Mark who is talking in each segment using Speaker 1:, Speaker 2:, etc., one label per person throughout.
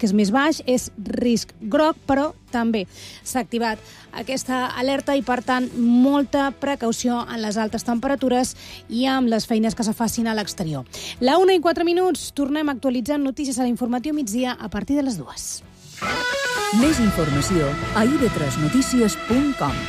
Speaker 1: que és més baix, és risc groc, però també s'ha activat aquesta alerta i, per tant, molta precaució en les altes temperatures i amb les feines que se facin a l'exterior. La 1:04, tornem actualitzant notícies a l'informatiu migdia a partir de les 2.
Speaker 2: Més informació a ib3notícies.com.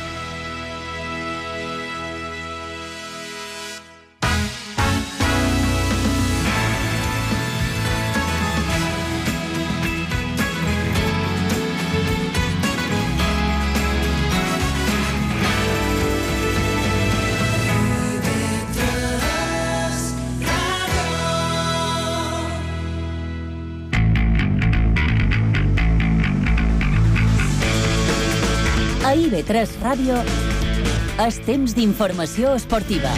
Speaker 3: A IB3 Ràdio és temps d'informació esportiva.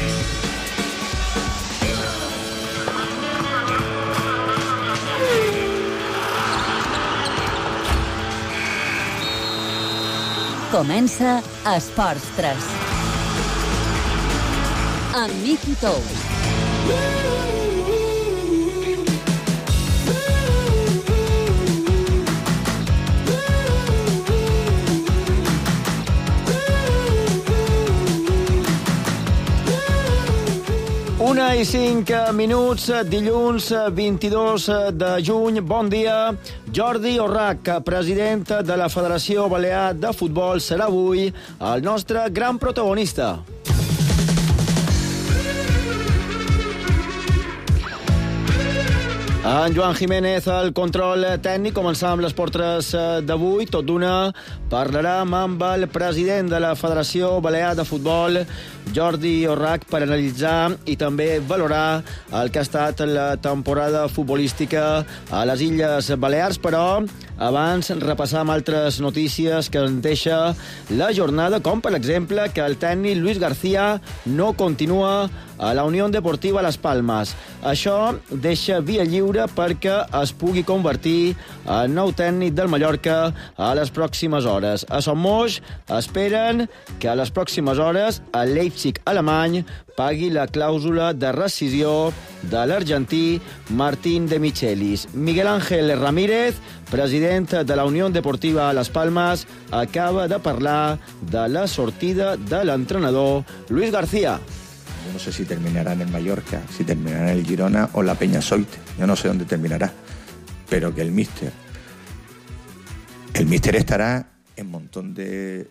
Speaker 3: Comença Esports 3. Amb Miqui Tous.
Speaker 4: Una i 5 minuts, dilluns 22 de juny. Bon dia. Jordi Orrach, president de la Federació Balear de Futbol, serà avui el nostre gran protagonista. En Joan Jiménez, el control tècnic. Començam les portres d'avui. Tot d'una parlarem amb el president de la Federació Balear de Futbol, Jordi Orrach, per analitzar i també valorar el que ha estat la temporada futbolística a les Illes Balears. Però abans repassam altres notícies que ens deixa la jornada, com per exemple que el tècnic Luis García no continua a la Unió Deportiva Las Palmas. Això deixa via lliure perquè es pugui convertir en nou tècnic del Mallorca a les pròximes hores. A Son Moix esperen que a les pròximes hores el Leipzig alemany pagui la clàusula de rescisió de l'argentí Martín de Michelis. Miguel Ángel Ramírez, president de la Unió Deportiva Las Palmas, acaba de parlar de la sortida de l'entrenador Luis García.
Speaker 5: Yo no sé si terminará en el Mallorca, si terminará en el Girona o la Peñasoite. Yo no sé dónde terminará. Pero que el míster estará en un montón de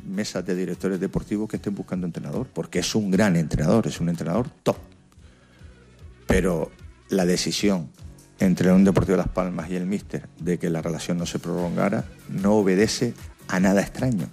Speaker 5: mesas de directores deportivos que estén buscando entrenador, porque es un gran entrenador, es un entrenador top. Pero la decisión entre la Unión Deportiva Las Palmas y el míster de que la relación no se prolongara no obedece a nada extraño.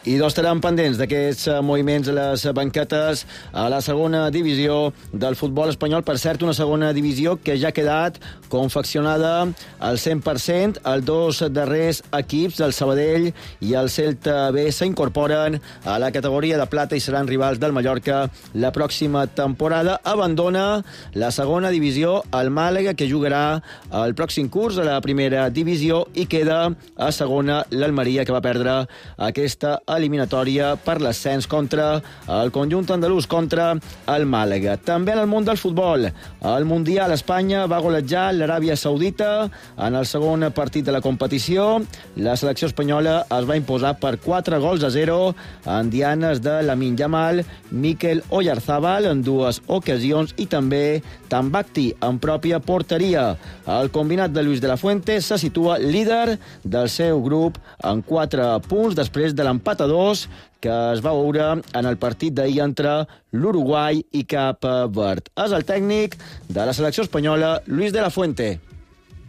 Speaker 4: I estarem pendents d'aquests moviments a les banquetes a la segona divisió del futbol espanyol. Per cert, una segona divisió que ja ha quedat confeccionada al 100%. Els dos darrers equips, el Sabadell i el Celta B, s'incorporen a la categoria de plata i seran rivals del Mallorca la pròxima temporada. Abandona la segona divisió el Màlaga, que jugarà el pròxim curs a la primera divisió, i queda a segona l'Almeria, que va perdre aquesta eliminatòria per l'ascens contra el conjunt andalús, contra el Màlaga. També en el món del futbol, el Mundial, Espanya va golejar l'Aràbia Saudita en el segon partit de la competició. La selecció espanyola es va imposar per 4-0 en dianes de Lamine Yamal, Mikel Oyarzabal en dues ocasions i també Tambacti en pròpia porteria. El combinat de Luis de la Fuente se situa líder del seu grup en 4 punts després de l'empat a 2 que es va veure en el partit d'ahir entre l'Uruguai i Cap Verd. És el tècnic de la selecció espanyola, Luis de la Fuente.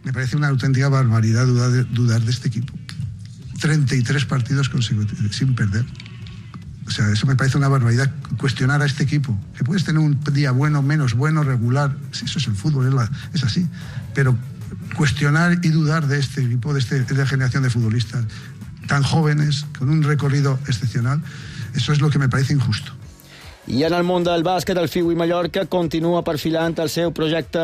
Speaker 6: Me parece una auténtica barbaridad dudar de este equipo. 33 partidos consecutivos sin perder. O sea, eso me parece una barbaridad. Cuestionar a este equipo. Que puedes tener un día bueno, menos bueno, regular. Eso es el fútbol, es así. Pero cuestionar y dudar de este equipo, de esta generación de futbolistas tan jóvenes, con un recorrido excepcional, eso es lo que me parece injusto.
Speaker 4: I en el món del bàsquet, el Figui Mallorca continua perfilant el seu projecte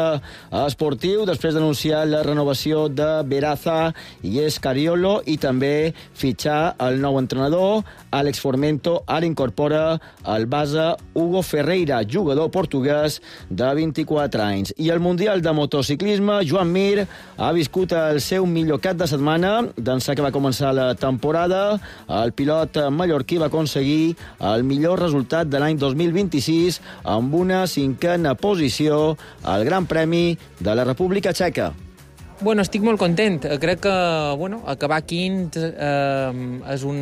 Speaker 4: esportiu després d'anunciar la renovació de Beraza i Escariolo i també fitxar el nou entrenador, Àlex Formento. Ara incorpora el base Hugo Ferreira, jugador portuguès de 24 anys. I al Mundial de Motociclisme, Joan Mir ha viscut el seu millor cap de setmana d'ençà que va començar la temporada. El pilot mallorquí va aconseguir el millor resultat de l'any 2026 amb una 5a posició al Gran Premi de la República Txeca.
Speaker 7: Bueno, estic molt content. Crec que acabar quint és un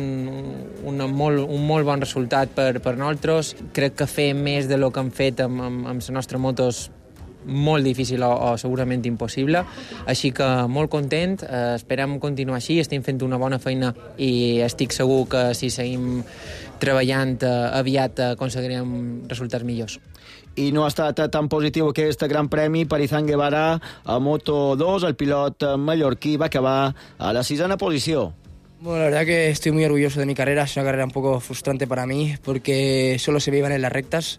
Speaker 7: molt bon resultat per nosaltres. Crec que fer més de lo que hem fet amb la nostra moto és molt difícil o segurament impossible, així que molt content, esperem continuar així, estem fent una bona feina i estic segur que si seguim treballant aviat aconseguirem resultats millors.
Speaker 4: I no ha estat tan positiu aquest Gran Premi per Izan Guevara a Moto2. El pilot mallorquí va acabar a la 6a posició.
Speaker 8: Bueno, la verdad que estoy muy orgulloso de mi carrera, es una carrera un poco frustrante para mí porque solo se me iban en las rectas.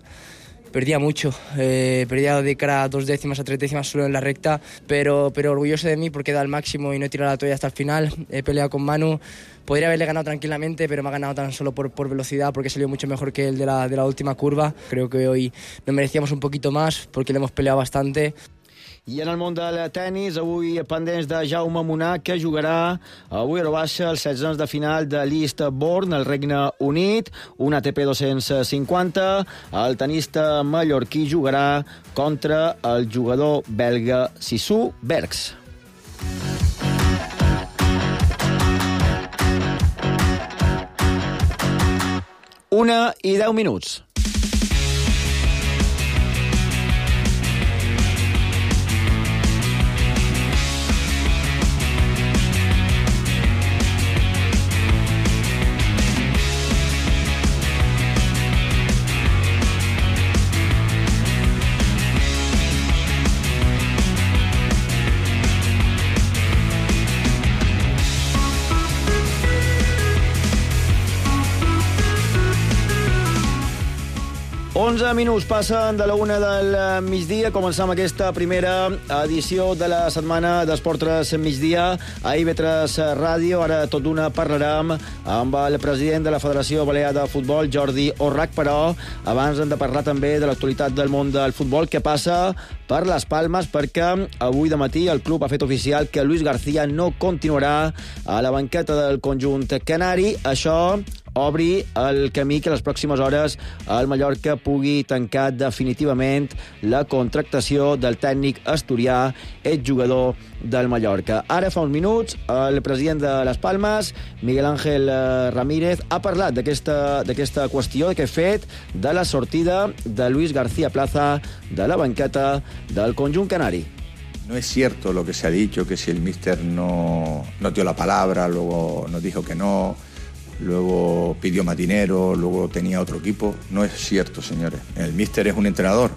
Speaker 8: Perdía mucho, perdía de cara a 2 décimas a 3 décimas solo en la recta, pero orgulloso de mí porque he dado el máximo y no he tirado la toalla hasta el final. He peleado con Manu, podría haberle ganado tranquilamente, pero me ha ganado tan solo por velocidad, porque salió mucho mejor que el de la última curva. Creo que hoy nos merecíamos un poquito más porque le hemos peleado bastante.
Speaker 4: I en el món del tennis, avui pendents de Jaume Munar, que jugarà avui a baixa els 16 de final de l'Eastbourne, al Regne Unit, un ATP 250. El tenista mallorquí jugarà contra el jugador belga Sissou Bergs. Una i 10 minuts. Onze minuts passen de la 1 del migdia. Començam aquesta primera edició de la setmana d'Esport 3 migdia a IB3 Ràdio. Ara tot d'una parlarem amb el president de la Federació Balear de Futbol, Jordi Orrac, però abans hem de parlar també de l'actualitat del món del futbol, que passa per les Palmes, perquè avui de matí el club ha fet oficial que Luis García no continuarà a la banqueta del conjunt canari. Això obri el camí que les pròximes hores el Mallorca pugui tancar definitivament la contractació del tècnic asturià, exjugador del Mallorca. Ara, fa uns minuts, el president de les Palmes, Miguel Ángel Ramírez, ha parlat d'aquesta qüestió, d'aquest fet de la sortida de Luis García Plaza de la banqueta del conjunt canari.
Speaker 5: No es cierto lo que se ha dicho, que si el míster no dio la palabra, luego nos dijo que no, luego pidió más dinero, luego tenía otro equipo. No es cierto, señores. El míster es un entrenador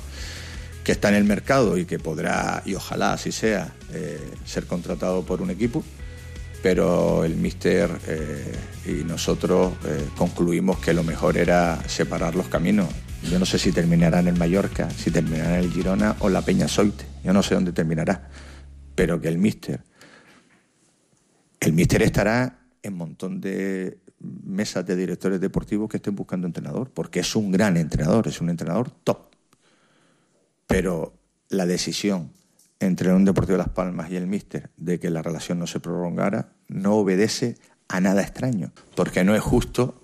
Speaker 5: que está en el mercado y que podrá, y ojalá así sea, ser contratado por un equipo, pero el míster y nosotros concluimos que lo mejor era separar los caminos. Yo no sé si terminará en el Mallorca, si terminará en el Girona o la Peña Soite. Yo no sé dónde terminará, pero que el míster estará en un montón de mesas de directores deportivos que estén buscando entrenador, porque es un gran entrenador, es un entrenador top. Pero la decisión entre un Deportivo de Las Palmas y el míster de que la relación no se prolongara no obedece a nada extraño, porque no es justo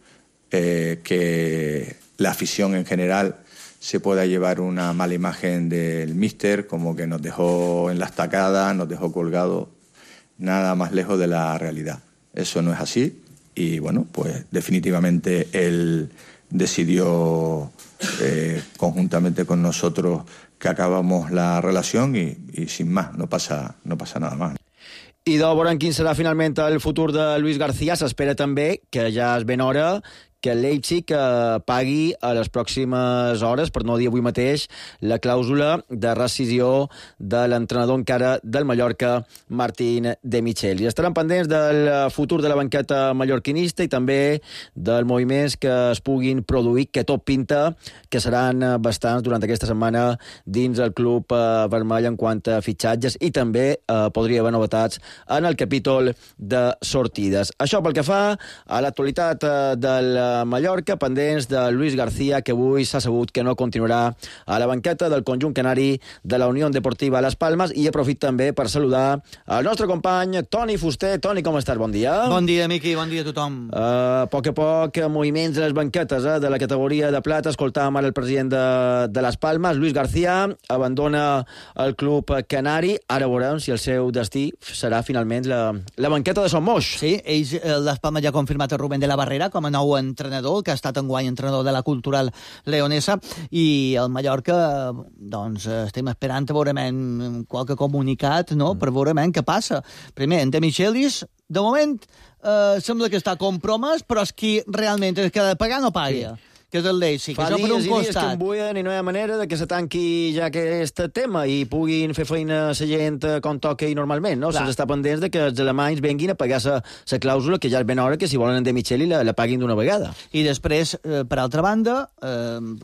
Speaker 5: que la afición en general se pueda llevar una mala imagen del míster, como que nos dejó en la estacada, nos dejó colgado, nada más lejos de la realidad. Eso no es así. Y bueno, pues definitivamente él decidió conjuntamente con nosotros que acabamos la relación y sin más, no pasa nada más. I de veure quin serà finalment el futur de Luis García. S'espera també, que ja és ben hora,
Speaker 4: que el Leipzig pagui a les pròximes hores, per no dir avui mateix, la clàusula de rescisió de l'entrenador encara del Mallorca, Martín De Micheli. Estaran pendents del futur de la banqueta mallorquinista i també dels moviments que es puguin produir, que tot pinta que seran bastants durant aquesta setmana dins el club vermell en quant a fitxatges i també podria haver novetats en el capítol de sortides. Això pel que fa a l'actualitat del Mallorca, pendents de Luis García, que avui s'ha sabut que no continuarà a la banqueta del conjunt canari de la Unió Deportiva Las Palmas, i aprofit també per saludar el nostre company Toni Fuster. Toni, com estàs? Bon dia.
Speaker 9: Bon dia, Miqui, bon dia a tothom.
Speaker 4: A poc moviments a les banquetes de la categoria de plata. Escoltàvem ara el president de Las Palmas, Luis García, abandona el club canari. Ara veurem si el seu destí serà finalment la banqueta de Son Moix.
Speaker 9: Sí, Las Palmas ja ha confirmat el Rubén de la Barrera com a nou entrenador, que ha estat enguany entrenador de la Cultural Leonesa, i el Mallorca, doncs, estem esperant a veurem qualque comunicat, no?, per veure què passa. Primer, en De Michelis, de moment, sembla que està compromès, però és qui realment és que ha de pagar no paga. Sí. Que és el Leipzig.
Speaker 4: Fa dies que em buien i no hi ha manera de que se tanqui ja aquest tema i puguin fer feina a la gent com toca i normalment, no? Se'ls està pendents de que els alemanys venguin a pagar la clàusula, que ja és ben hora que si volen en De Micheli la paguin d'una vegada.
Speaker 9: I després, per altra banda,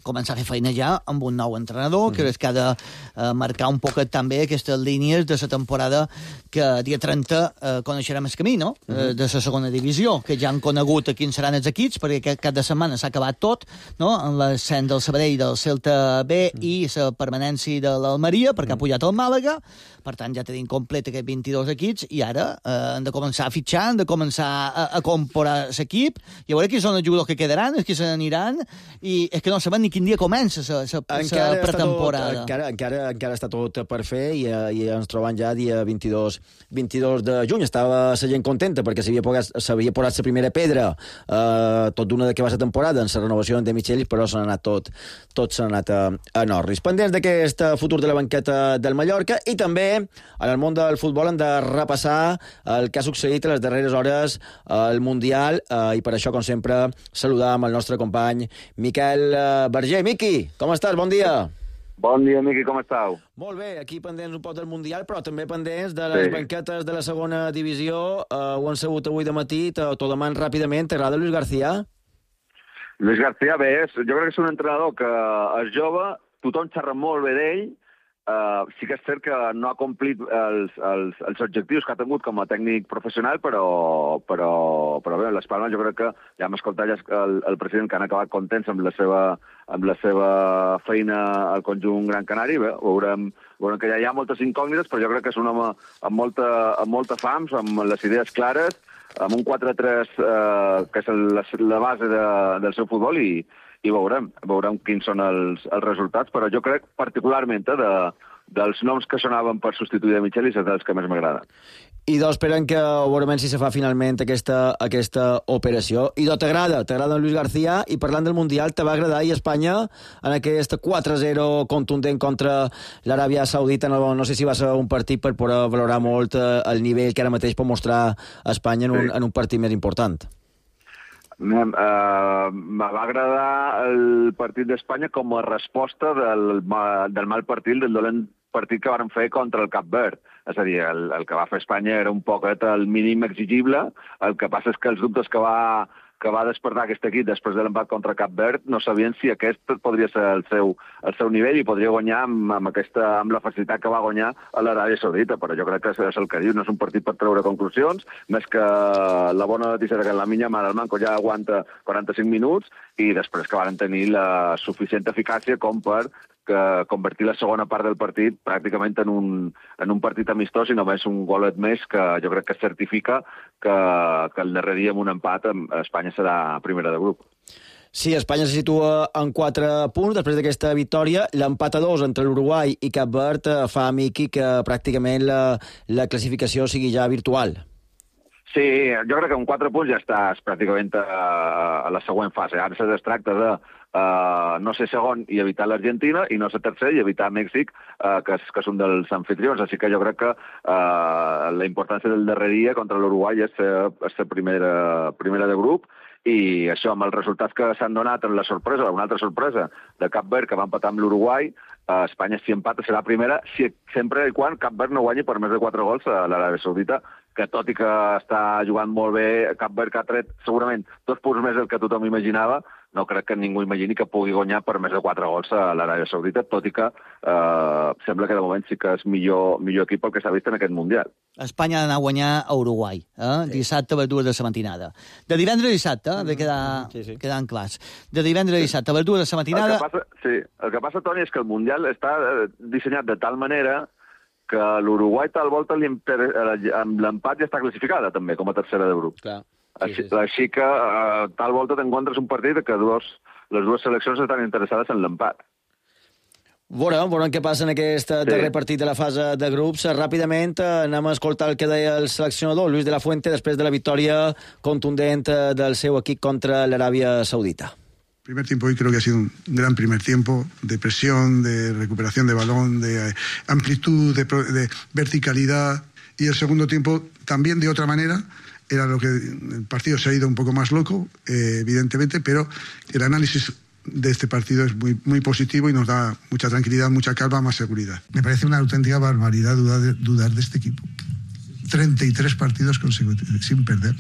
Speaker 9: començar a fer feina ja amb un nou entrenador, que és que ha de marcar un poquet també aquestes línies de la temporada que dia 30 coneixerem el camí, no?, de la segona divisió, que ja han conegut a quins seran els equips, perquè aquest cap de setmana s'ha acabat tot, no?, en l'ascens del Sabadell del Celta B i la permanència de l'Almeria, perquè ha pujat el Màlaga. Per tant, ja tenim complet aquests 22 equips i ara han de començar a fitxar, han de començar a comprar l'equip, i a veure qui són els jugadors que quedaran, els que se n'aniran, i és que no sabem ni quin dia comença la pretemporada.
Speaker 4: Encara està tot per fer i ens trobem ja dia 22 de juny. Estava la gent contenta perquè s'havia posat la primera pedra tot d'una de que va ser temporada en la renovació de Micheli, però s'ha anat tot s'ha anat a Norris. Pendents d'aquest futur de la banqueta del Mallorca, i també en el món del futbol hem de repassar el que ha succeït a les darreres hores al Mundial, i per això, com sempre, saludam el nostre company Miquel Berger. Miqui, com estàs? Bon dia.
Speaker 10: Bon dia, Miqui, com estàu?
Speaker 4: Molt bé, aquí pendents un poc del Mundial, però també pendents de les banquetes de la segona divisió. Ho han sabut avui de matí, t'ho deman ràpidament. T'agrada Luis García?
Speaker 10: Luis García, bé, jo crec que és un entrenador que és jove, tothom xerra molt bé d'ell, sí que és cert que no ha complit els objectius que ha tingut com a tècnic professional, però bé, les Palmes jo crec que ja hem escoltat el president que han acabat contents amb la seva feina al conjunt Gran Canari. Bé, veurem que ja hi ha moltes incògnites, però jo crec que és un home amb molta fams, amb les idees clares, amb un 4-3 que és la base del seu futbol, i veurem quins són els resultats, però jo crec particularment dels noms que sonaven per substituir de Micheli és dels que més m'agrada.
Speaker 4: I esperem que veurem si se fa finalment aquesta operació. I t'agrada en Luis García, i parlant del Mundial, te va agradar i Espanya en aquest 4-0 contundent contra l'Aràbia Saudita? No sé si va ser un partit per poder valorar molt el nivell que ara mateix pot mostrar Espanya en un partit més important.
Speaker 10: Me va agradar el partit d'Espanya com a resposta del mal partit, del dolent partit que varen fer contra el Cap Verd. És a dir, el que va fer Espanya era un poquet el mínim exigible. El que passa és que els dubtes que va despertar aquest equip després de l'empat contra Cap Verd no sabien si aquest podria ser el seu nivell i podria guanyar amb la facilitat que va guanyar a l'Aràbia Saudita. Però jo crec que és el que diu, no és un partit per treure conclusions, més que la bona notícia que la Minya Mar al Manco ja aguanta 45 minuts, i després que van tenir la suficient eficàcia com per convertir la segona part del partit pràcticament en un partit amistós, i només un golet més que jo crec que certifica que el darrer dia amb un empat Espanya serà primera de grup.
Speaker 4: Sí, Espanya se situa en 4 punts després d'aquesta victòria. L'empat a 2 entre l'Uruguai i Cap Verd fa, Miqui, que pràcticament la classificació sigui ja virtual.
Speaker 10: Sí, jo crec que amb 4 punts ja estàs pràcticament a la següent fase. Ara es tracta de no ser segon i evitar l'Argentina, i no ser tercer i evitar Mèxic, que és un dels anfitrions. Així que jo crec que la importància del darrer dia contra l'Uruguai és ser primera de grup, i això, amb els resultats que s'han donat en la sorpresa, una altra sorpresa de Cap Verd, que va empatar amb l'Uruguai, Espanya, si empata, serà primera, sempre i quan Cap Verd no guanyi per més de 4 gols a l'Aràbia Saudita, que tot i que està jugant molt bé, Cap Verd que ha tret segurament 2 punts més del que tothom imaginava, no crec que ningú imagini que pugui guanyar per més de 4 gols a l'Aràbia Saudita, tot i que sembla que de moment sí que és millor equip el que s'ha vist en aquest Mundial.
Speaker 9: Espanya ha d'anar a guanyar a Uruguai, sí. Dissabte a les 2 de la matinada. De divendres a dissabte, de quedant clars. De divendres a dissabte a les 2 de la matinada...
Speaker 10: El que passa, Toni, és que el Mundial està dissenyat de tal manera que l'Uruguai tal volta amb l'empat ja està classificada també com a tercera de grup.
Speaker 4: Clar.
Speaker 10: Així que tal volta t'encontres un partit que les dues seleccions estan interessades en l'empat.
Speaker 4: Veurem què passa en aquest darrer partit de la fase de grups. Ràpidament anem a escoltar el que deia el seleccionador Luis de la Fuente després de la victòria contundent del seu equip contra l'Aràbia Saudita.
Speaker 6: El primer tiempo hoy creo que ha sido un gran primer tiempo de presión, de recuperación de balón, de amplitud, de verticalidad, y el segundo tiempo también de otra manera. Era lo que el partido se ha ido un poco más loco, evidentemente, pero el análisis de este partido es muy positivo y nos da mucha tranquilidad, mucha calma, más seguridad. Me parece una auténtica barbaridad dudar de este equipo. 33 partidos consecutivos sin perder.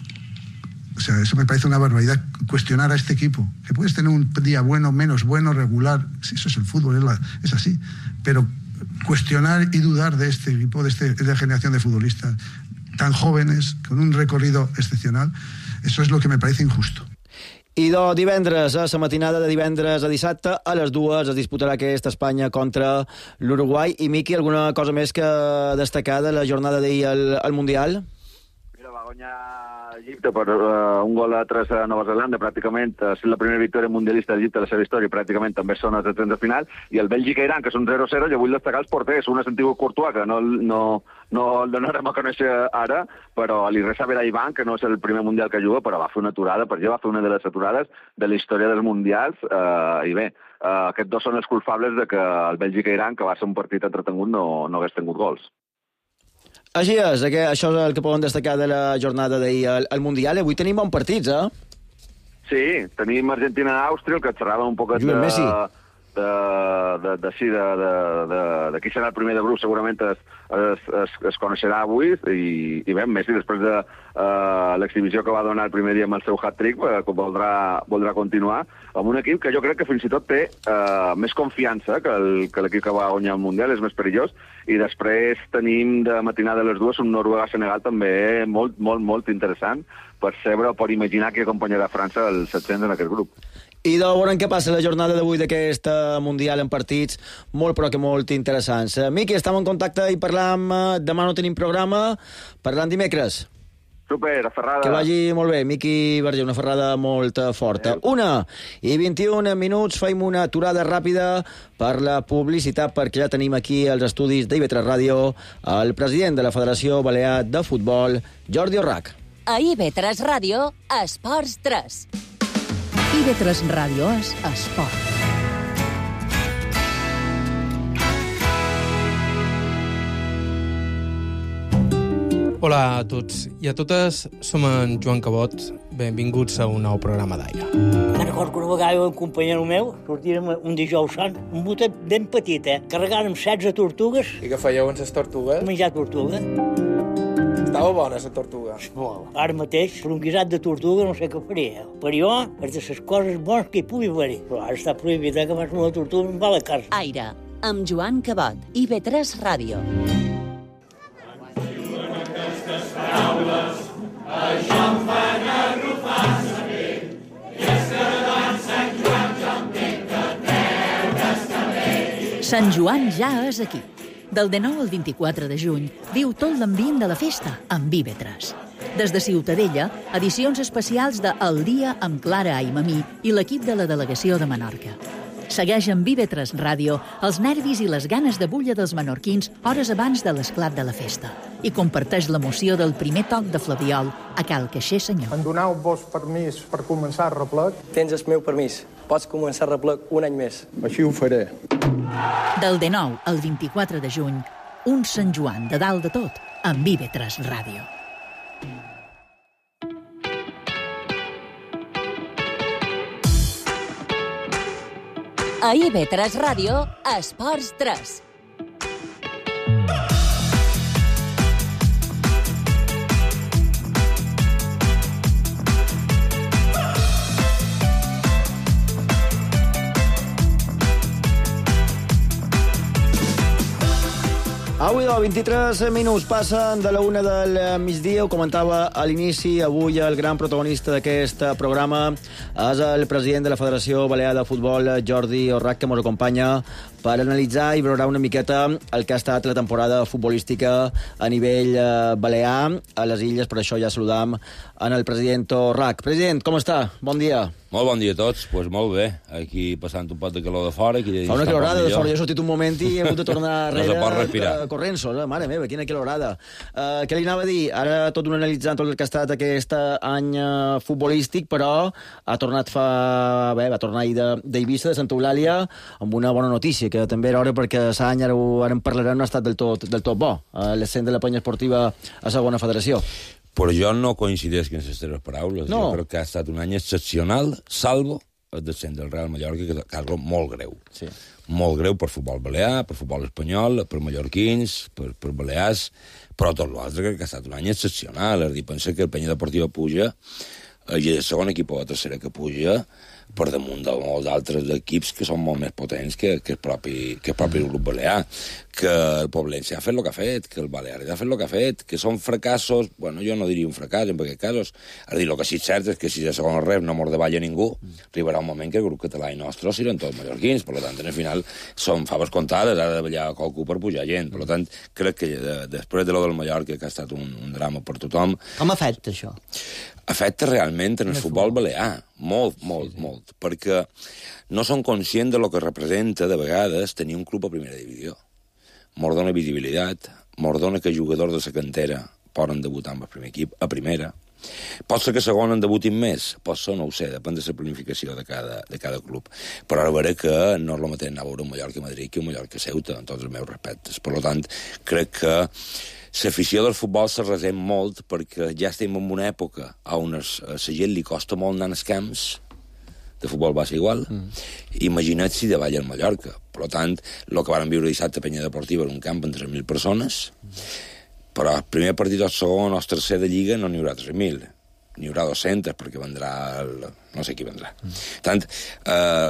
Speaker 6: O sea, eso me parece una barbaridad, cuestionar a este equipo. Que puedes tener un día bueno, menos bueno, regular, sí, eso es el fútbol, es así. Pero cuestionar y dudar de este equipo, de esta generación de futbolistas tan jóvenes, con un recorrido excepcional, eso es lo que me parece injusto.
Speaker 4: I de divendres, a la matinada de divendres a dissabte, a les 2 es disputarà aquesta Espanya contra l'Uruguai. I, Miqui, alguna cosa més que destacar de la jornada d'ahir al Mundial?
Speaker 10: Mira, va guanyar Egipte per un gol a 3 a Nova Zelanda, pràcticament ha estat la primera victòria mundialista d'Egipte de la seva història, pràcticament també són els 30 de final, i el Bèlgica-Iran, que són 0-0, jo vull destacar els porters, un és Antigo Courtois, que no el donarem a conèixer ara, però l'Iresa Beraiban, que no és el primer mundial que juga, però va fer una aturada, per va fer una de les aturades de la història dels mundials, i bé, aquests dos són els culpables de que el Bèlgica-Iran, que va ser un partit entretengut, no hagués tingut gols.
Speaker 4: Així és, això és el que poden destacar de la jornada d'ahir al Mundial. Avui tenim bons partits,
Speaker 10: Sí, tenim Argentina-Àustria, el que xerrava un poc de qui serà el primer de grup, segurament es coneixerà avui, i bé, Messi, després de l'exhibició que va donar el primer dia amb el seu hat-trick, voldrà continuar amb un equip que jo crec que fins i tot té més confiança que l'equip que va guanyar el Mundial, és més perillós, i després tenim de matinada a les 2 un Noruega-Senegal també molt, molt, molt interessant per saber o per imaginar qui acompanyarà França als 700 en aquest grup.
Speaker 4: I de veure què passa la jornada d'avui d'aquest Mundial en partits molt però que molt interessants. Miqui, estem en contacte i parlam. Demà no tenim programa, parlam dimecres.
Speaker 10: Super, a Ferrada.
Speaker 4: Que vagi molt bé. Miqui Verger, una ferrada molt forta. 1:21 minuts, faim una aturada ràpida per la publicitat, perquè ja tenim aquí als estudis d'IV3 Ràdio el president de la Federació Balear de Futbol, Jordi Orrach.
Speaker 3: A IB3 Ràdio, Esports 3.
Speaker 2: IB3 Ràdio és esport.
Speaker 11: Hola a tots i a totes, som en Joan Cabot. Benvinguts a un nou programa d'Aire.
Speaker 12: Me'n recordo que una vegada un companyero meu sortirem un dijous sant, un botet ben petit, carregant amb 16 tortugues.
Speaker 11: I què fèieu amb les tortugues?
Speaker 12: Menjar tortuga.
Speaker 11: Estava bona, la tortuga.
Speaker 12: Molt. Ara mateix, per un guisat de tortuga, no sé què faria. Per jo, és de les coses bones que hi pugui haver-hi. Però ara està prohibit, que abans una tortuga em va a la casa.
Speaker 3: Aire, amb Joan Cabot, IB3 Ràdio.
Speaker 13: Això em fan arrufar la pell, i és que davant Sant Joan jo entenc que treure's cabell.
Speaker 2: Sant Joan ja és aquí. Del 19 al 24 de juny, viu tot l'ambient de la festa amb IB3. Des de Ciutadella, edicions especials de El Dia amb Clara Aimamí i l'equip de la delegació de Menorca. Segueix amb IB3 Ràdio els nervis i les ganes de bulla dels menorquins hores abans de l'esclat de la festa i comparteix l'emoció del primer toc de Flabiol a Cal Caixer Senyor.
Speaker 14: Em doneu-vos permís per començar el replec?
Speaker 15: Tens el meu permís. Pots començar el replec un any més.
Speaker 14: Així ho faré.
Speaker 2: Del 19 al 24 de juny, un Sant Joan de dalt de tot amb IB3 Ràdio.
Speaker 3: A IB3 Ràdio, Esports 3.
Speaker 4: Avui 23 minuts passen de la 1 del migdia. Ho comentava a l'inici. Avui el gran protagonista d'aquest programa és el president de la Federació Balear de Futbol, Jordi Orrac, que ens acompanya per analitzar i valorar una miqueta el que ha estat la temporada futbolística a nivell balear a les Illes. Per això ja saludam en el president Orrac. President, com està? Bon dia.
Speaker 16: Molt bon dia a tots. Pues molt bé. Aquí passant un pot de calor de fora.
Speaker 4: Fa una calorada de fora. Jo he sortit un moment i he hagut de tornar
Speaker 16: no se pot respirar.
Speaker 4: Corrents. Mare meva, quina calorada. Què li anava a dir? Ara tot un analitzant tot el que ha estat aquest any futbolístic, però va tornar ahir d'Eivissa, de Santa Eulàlia, amb una bona notícia, que també era hora perquè l'any, ara en parlarem, no ha estat del tot bo. L'ascens de la penya esportiva a segona federació.
Speaker 16: Però jo no coincideix en les teves paraules. No. Jo crec que ha estat un any excepcional, salvo el descens del Real Mallorca, que és algo molt greu. Sí. Molt greu per futbol balear, per futbol espanyol, per mallorquins, per balears, però tot l'altre crec que ha estat un any excepcional. És a dir, pensa que el Penya Deportiva puja, i el segon equip o la tercera que puja, per damunt de molts altres equips que són molt més potents que el propi grup balear, que el Poblense ha fet el que ha fet, que el Balear ha fet el que ha fet, que són fracassos, bueno, jo no diria un fracàs en aquests casos, és a dir, el que sí és cert és que si de segon rep no mor de balla ningú, arribarà un moment que el grup català i nostre seran tots mallorquins, per tant, en el final són faves comptades, ha de ballar qualcú per pujar gent, per tant, crec que després de lo del Mallorca, que ha estat un drama per tothom...
Speaker 9: Com afecta això?
Speaker 16: Afecta realment en el futbol balear, molt, perquè no són conscients de lo que representa, de vegades, tenir un club a primera divisió. Mos dona visibilitat, mos dona que jugadors de la cantera poden debutar amb el primer equip, a primera. Pot ser que a segon en debutin més, pot ser, no ho sé, depèn de la planificació de cada club. Però ara veuré que no és el mateix anar a veure un Mallorca a Madrid que un Mallorca a Ceuta, en tots els meus respectes. Per tant, crec que l'afició del futbol se resent molt perquè ja estem en una època on a la gent li costa molt anar als camps, de futbol va ser igual, imagina't si davall al Mallorca. Per tant, el que vàrem viure dissabte a Penya Deportiva era un camp amb 3.000 persones, però el primer partit o el segon o el tercer de Lliga no n'hi haurà 3.000, n'hi haurà 200 perquè vendrà no sé qui vendrà. Tant,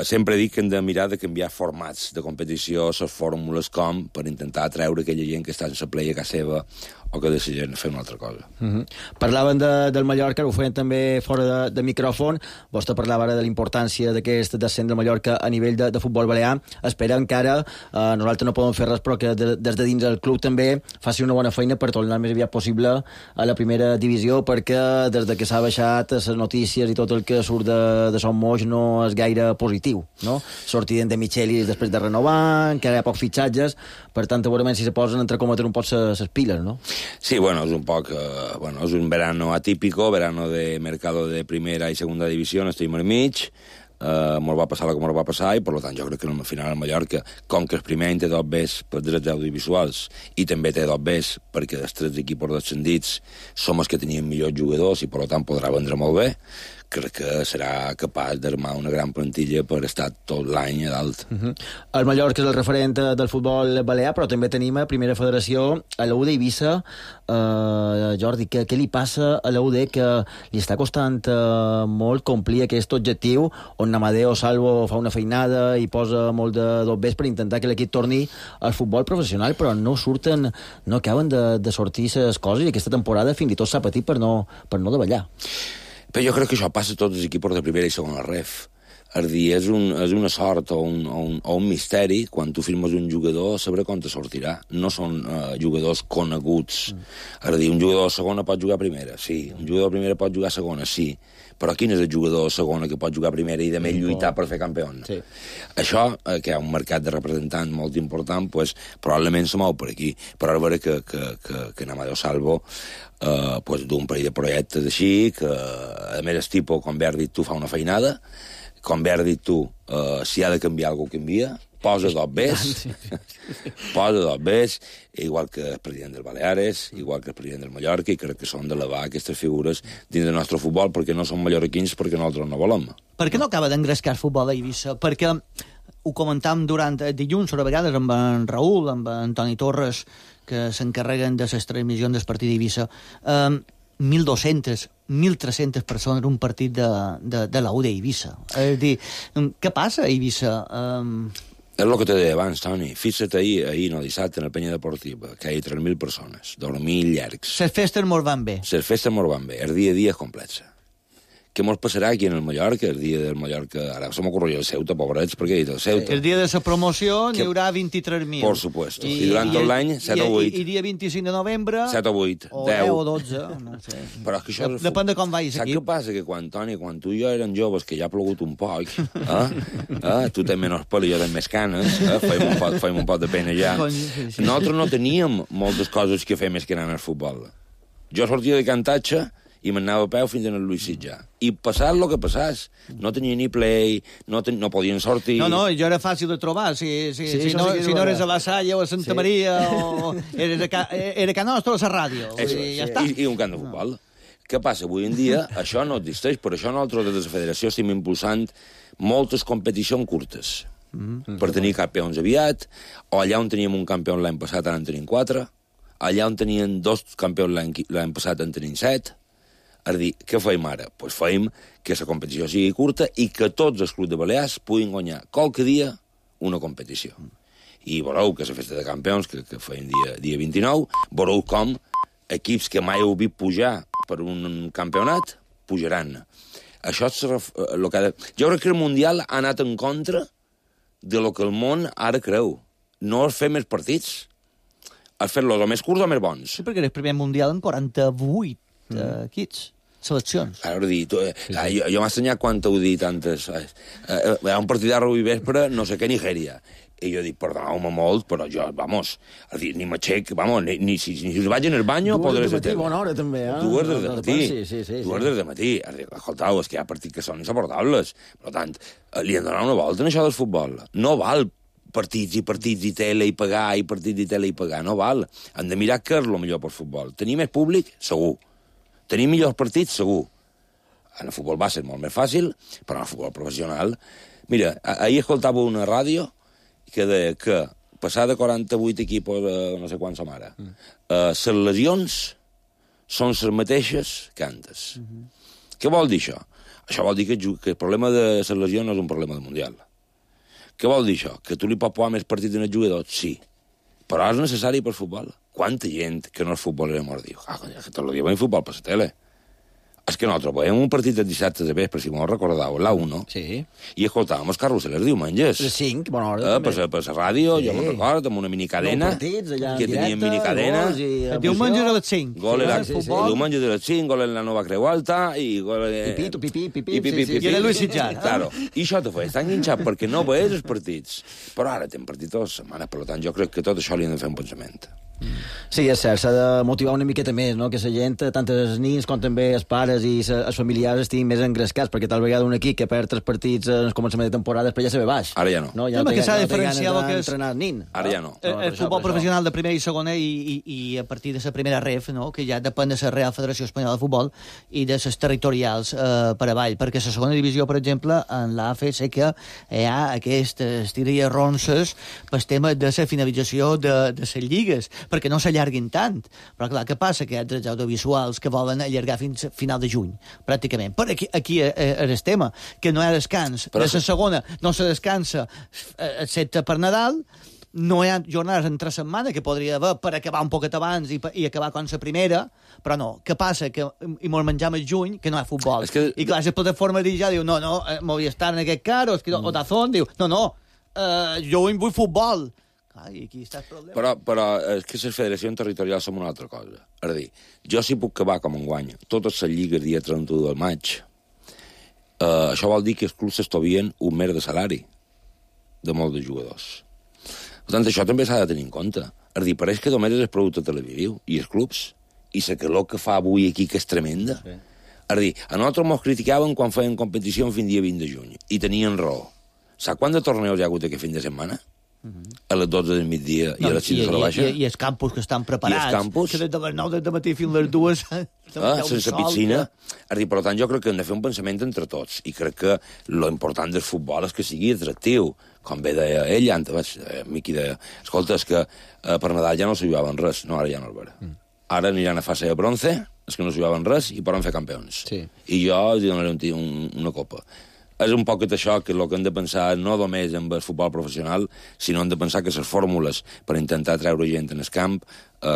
Speaker 16: sempre dic que hem de mirar de canviar formats de competició, les fórmules per intentar atreure aquella gent que està sense play a casa seva o que decideixen fer una altra cosa.
Speaker 4: Parlaven del Mallorca, ho feien també fora de micròfon. Vostè parlava ara de la importància d'aquest descens del Mallorca a nivell de futbol balear. Esperem que ara nosaltres no podem fer res, però que des de dins el club també faci una bona feina per tornar més aviat possible a la primera divisió, perquè des de que s'ha baixat les notícies i tot el que surt de Son Moix no és gaire positiu, no? Sortiden de Michelis després de renovar, encara hi ha pocs fitxatges, per tant, segurament si se posen entre cometre un poc ses piles, no?
Speaker 16: Sí, bueno, es un poc... es un verano atípico, verano de mercado de primera y segunda división, estem al mig, mos va passar el que mos va passar i, per tant, jo crec que al final el Mallorca, com que el primer any té dos bes per drets audiovisuals i també té dos bes perquè els tres equips descendits som els que tenien millors jugadors i, per tant, podrà vendre molt bé, crec que serà capaç d'armar una gran plantilla per estar tot l'any a dalt.
Speaker 4: El Mallorca és el referent del futbol balear, però també tenim a Primera Federació a la UD Eivissa. Jordi, què li passa a la UD que li està costant molt complir aquest objectiu on Amadeo Salvo fa una feinada i posa molt de dobbers per intentar que l'equip torni al futbol professional, però no surten, no acaben de sortir les coses i aquesta temporada fins i tot s'ha patit per no davallar.
Speaker 16: Però jo crec que això passa a tots els equips de primera i segona ref. És dir, és una sort o un misteri quan tu firmes un jugador saber com te sortirà. No són jugadors coneguts. És dir, un jugador de segona pot jugar a primera, sí. Un jugador de primera pot jugar a segona, sí. Però quin és el jugador de segona que pot jugar a primera i de més lluitar per fer campió? Sí. Això, que hi ha un mercat de representants molt important, pues, probablement se mou per aquí. Però ara veure que Amadeo Salvo d'un parell de projectes així, que a més el tipus, com bé has dit tu, fa una feinada, com bé has dit tu, si ha de canviar alguna cosa, canvia, posa dos bes, igual que el president del Baleares, igual que el president del Mallorca, i crec que són d'elevar aquestes figures dins del nostre futbol, perquè no són mallorquins, perquè nosaltres no volem.
Speaker 9: Per què no acaba d'engrescar el futbol a Eivissa? Perquè ho comentàvem durant dilluns, a vegades amb en Raül, amb en Toni Torres, que s'encarreguen de les transmissions del partit d'Eivissa. 1.200, 1.300 persones en un partit de la U d'Eivissa. És a dir, què passa a Eivissa?
Speaker 16: És el que te deia abans, Toni. Fixa't ahir, no, dissabte, en la penya deportiva, que hi ha 3.000 persones, dormir llargs.
Speaker 9: Les festes mos van bé.
Speaker 16: Les festes mos van bé, el dia a dia és complex. Què mos passarà aquí en el Mallorca, el dia del Mallorca? Ara se m'ocorre el Ceuta, pobrets, perquè he dit el Ceuta.
Speaker 9: El dia de la promoció n'hi haurà 23.000.
Speaker 16: Por supuesto. I durant tot l'any, 7 o 8.
Speaker 9: I dia 25 de novembre...
Speaker 16: 7 o 8,
Speaker 9: o
Speaker 16: 10.
Speaker 9: O 12, no sé.
Speaker 16: Però és que això...
Speaker 9: Depèn de com vagis aquí.
Speaker 16: Saps què passa? Que quan, Toni, quan tu i jo eren joves, que ja ha plogut un poc, tu tens menys pèl i jo tens més canes, feim un poc de pena ja. Nosaltres no teníem moltes coses que fer més que anar al futbol. Jo sortia de cantatge i m'anava a peu fins al Lluís Sitjà. I passat el que passàs. No tenia ni play, no podien sortir...
Speaker 9: No, jo era fàcil de trobar. Si no eres a la Salle o a Santa Maria, o era Can Nostra o a la ràdio. Ja està.
Speaker 16: I un camp de futbol. Què passa? Avui en dia això no existeix. Per això nosaltres des de la federació estem impulsant moltes competicions curtes. Per tenir campions aviat, o allà on teníem un campió l'any passat ara en tenim 4, allà on tenien 2 campions l'any passat en tenim 7. És a dir, què feim ara? Doncs feim que la competició sigui curta i que tots els clubs de Balears puguin guanyar qualque dia una competició. I veureu que la festa de campions, que feim dia 29, veureu com equips que mai heu vist pujar per un campionat, pujaran. Això és el que... Jo crec que el Mundial ha anat en contra de lo que el món ara creu. No és fer més partits, és fer-los o més curts o més bons.
Speaker 9: Sí, perquè era el primer Mundial en 48 equips. Seleccions.
Speaker 16: Ara dir, jo m'ha assenyat quan t'ho dit antes. Hi ha un partit de rugby vespre, no sé què, Nigèria. I jo dic, perdoneu-me molt, però jo, vamos, ni m'aixec, vamos, ni si vaig en el banyo, podré ser teva.
Speaker 4: Bona hora, també, eh?
Speaker 16: 2 des de matí.
Speaker 4: Sí.
Speaker 16: 2 des de matí. Escoltau, és que hi ha partits que són insuportables. Per tant, li han donat una volta en això del futbol. No val partits i tele i pagar, i partits i tele i pagar, no val. Han de mirar què és el millor pel futbol. Tenir més públic? Segur. Tenir millors partits? Segur. En el futbol va ser molt més fàcil, però en el futbol professional... Mira, ahir escoltava una ràdio que deia que passar de 48 equipos a no sé quants som ara, les lesions són les mateixes que antes. Què vol dir això? Això vol dir que el problema de les lesions no és un problema del Mundial. Què vol dir això? Que tu li pots posar més partits en el jugador? Sí. Però és necessari per futbol. Quanta gent que no és futbolera mos diu que tot el dia veiem futbol per la tele. És que nosaltres veiem un partit de dissabte de vespre, si m'ho recordeu, la 1,
Speaker 4: sí.
Speaker 16: I escoltàvem els carrusels els diumenges.
Speaker 4: Les 5, bona hora.
Speaker 16: Per la ràdio, jo me'n recordo, amb una minicadena, que teníem minicadena.
Speaker 9: El diumenge de les 5.
Speaker 16: El diumenge de les 5, gol en la Nova Creu Alta, i gol...
Speaker 4: Pipí.
Speaker 9: I era Lluís Sitjà.
Speaker 16: Claro. I això te feia estar enganxat perquè no veies els partits. Però ara tenim partits totes les setmanes, per tant, jo crec que tot això li hem de fer un pensament.
Speaker 4: Sí, és cert, s'ha de motivar una miqueta més, no? Que la gent, tant els nins com també els pares i els familiars estiguin més engrescats, perquè tal vegada un equip que perd 3 partits en el començament de temporada després ja se ve baix.
Speaker 16: Ara ja no.
Speaker 4: Ja
Speaker 9: que s'ha de diferenciar el que és
Speaker 4: nin.
Speaker 16: Ara ja no.
Speaker 9: El futbol professional de primera i segona i a partir de la primera ref, no? Que ja depèn de la Real Federació Espanyola de Futbol i de les territorials per avall, perquè la segona divisió, per exemple, en l'AFE sé que hi ha aquestes tires ronces pel tema de la finalització de les lligues, perquè no s'allarguin tant. Però clar, què passa? Que hi ha drets audiovisuals que volen allargar fins a final de juny, pràcticament. Però aquí és el tema, que no hi ha descans. De la segona no se descansa excepte per Nadal, no hi ha jornades entre setmana que podria haver per acabar un poquet abans i acabar com la primera, però no. Què passa? Que i mos menjam el juny, que no hi ha futbol. I clar, la plataforma ja diu, no, m'hauria estar en aquest cas, o Dazón diu, no, jo vull futbol. I aquí està el problema.
Speaker 16: Però és que les federacions territorials són una altra cosa. És a dir, jo si puc acabar com enguany totes les lligues dia 31 del maig, això vol dir que els clubs s'estovien un mes de salari de molts de jugadors. Per tant, això també s'ha de tenir en compte. És a dir, pareix que només és el producte televisiu i els clubs, i la calor que fa avui aquí, que és tremenda. Sí. És a dir, a nosaltres ens criticaven quan feien competició fins dia 20 de juny, i tenien raó. Saps quant de torneos hi ha hagut aquest fin de setmana? a les 12 del migdia i a les 6 de la baixa.
Speaker 9: I els campus que estan preparats, que des de les 9 del matí fins a les 2...
Speaker 16: sense piscina. Per tant, jo crec que hem de fer un pensament entre tots, i crec que lo important del futbol és que sigui atractiu. Com bé deia ell, Miqui deia, escolta, és que per Nadal ja no s'hi jugaven res. No, ara ja no el veurà. Ara aniran a fase de bronze, és que no s'hi jugaven res, i poden fer campions. I jo els donaré una copa. És un poc això que el que hem de pensar no només en el futbol professional, sinó hem de pensar que les fórmules per intentar treure gent en el camp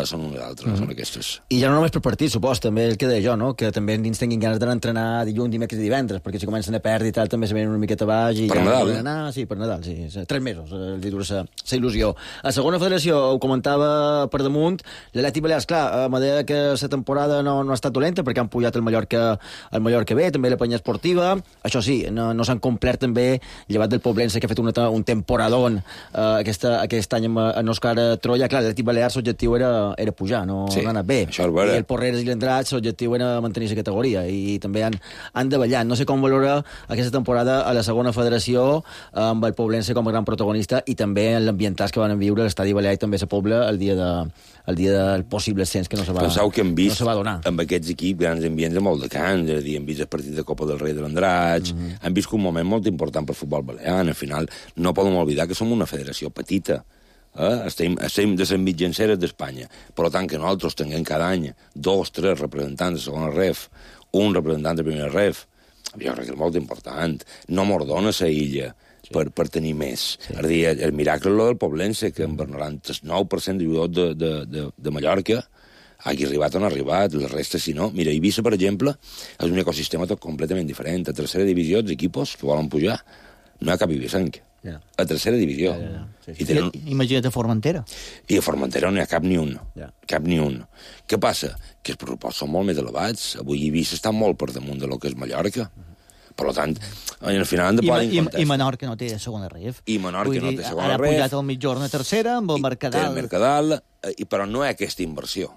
Speaker 16: són unes altres, són aquestes.
Speaker 4: I ja no només per partit, supos, també el que deia jo, no? Que també ens tinguin ganes d'anar a entrenar dilluns, dimecres i divendres, perquè si comencen a perdre i tal, també se venen una miqueta baix i
Speaker 16: per
Speaker 4: ja
Speaker 16: Nadal,
Speaker 4: no poden anar. Sí, per Nadal, sí. 3 mesos, li dura la il·lusió. A segona federació, ho comentava per damunt, l'Atlètic Balears, clar, a manera que la temporada no ha estat dolenta, perquè han pujat el Mallorca B, també la Penya Esportiva. Això sí, no s'han complert també, llevat del Poblense, que ha fet un temporadón aquest any amb Òscar Troia. Clar, l'Atlètic Balears, l'objectiu era pujar, no ha anat bé. I el Porreres i l'Andratx, l'objectiu era mantenir la categoria, i també han davallat. No sé com valora aquesta temporada a la segona federació, amb el Poblense com a gran protagonista, i també en l'ambientats que van viure l'Estadi Balear i també la Pobla el dia del possible ascens, que no se va donar.
Speaker 16: Penseu que hem vist amb aquests equips grans ambients de molt de cants, és a dir, hem vist el partit de Copa del Rei de l'Andratx, hem vist un moment molt important pel futbol balear. Al final no podem oblidar que som una federació petita. Estem de les mitjanceres d'Espanya. Per tant, que nosaltres tinguem cada any 2 o 3 representants de segona ref, un representant de primera ref, jo crec que és molt important. No mos dona la illa per tenir més. És a dir, el miracle és el del Poblense, que amb el 99% de jugadors de Mallorca hagi arribat on ha arribat, la resta si no. Mira, Eivissa, per exemple, és un ecosistema tot completament diferent. A tercera divisió, els equipos que volen pujar, no hi ha cap ibicenc. A tercera divisió.
Speaker 9: Imagina't a Formentera.
Speaker 16: I a Formentera no hi ha cap ni un. Cap ni un. Què passa? Que els pressupostos són molt més elevats. Avui Eivissa està molt per damunt de lo que és Mallorca. Per tant, al final han de posar en compte.
Speaker 9: I Menorca no té segona ref.
Speaker 16: I Menorca no té segona ref.
Speaker 9: Ara ha pujat al mitjorn a tercera amb el Mercadal.
Speaker 16: El Mercadal, però no hi ha aquesta inversió.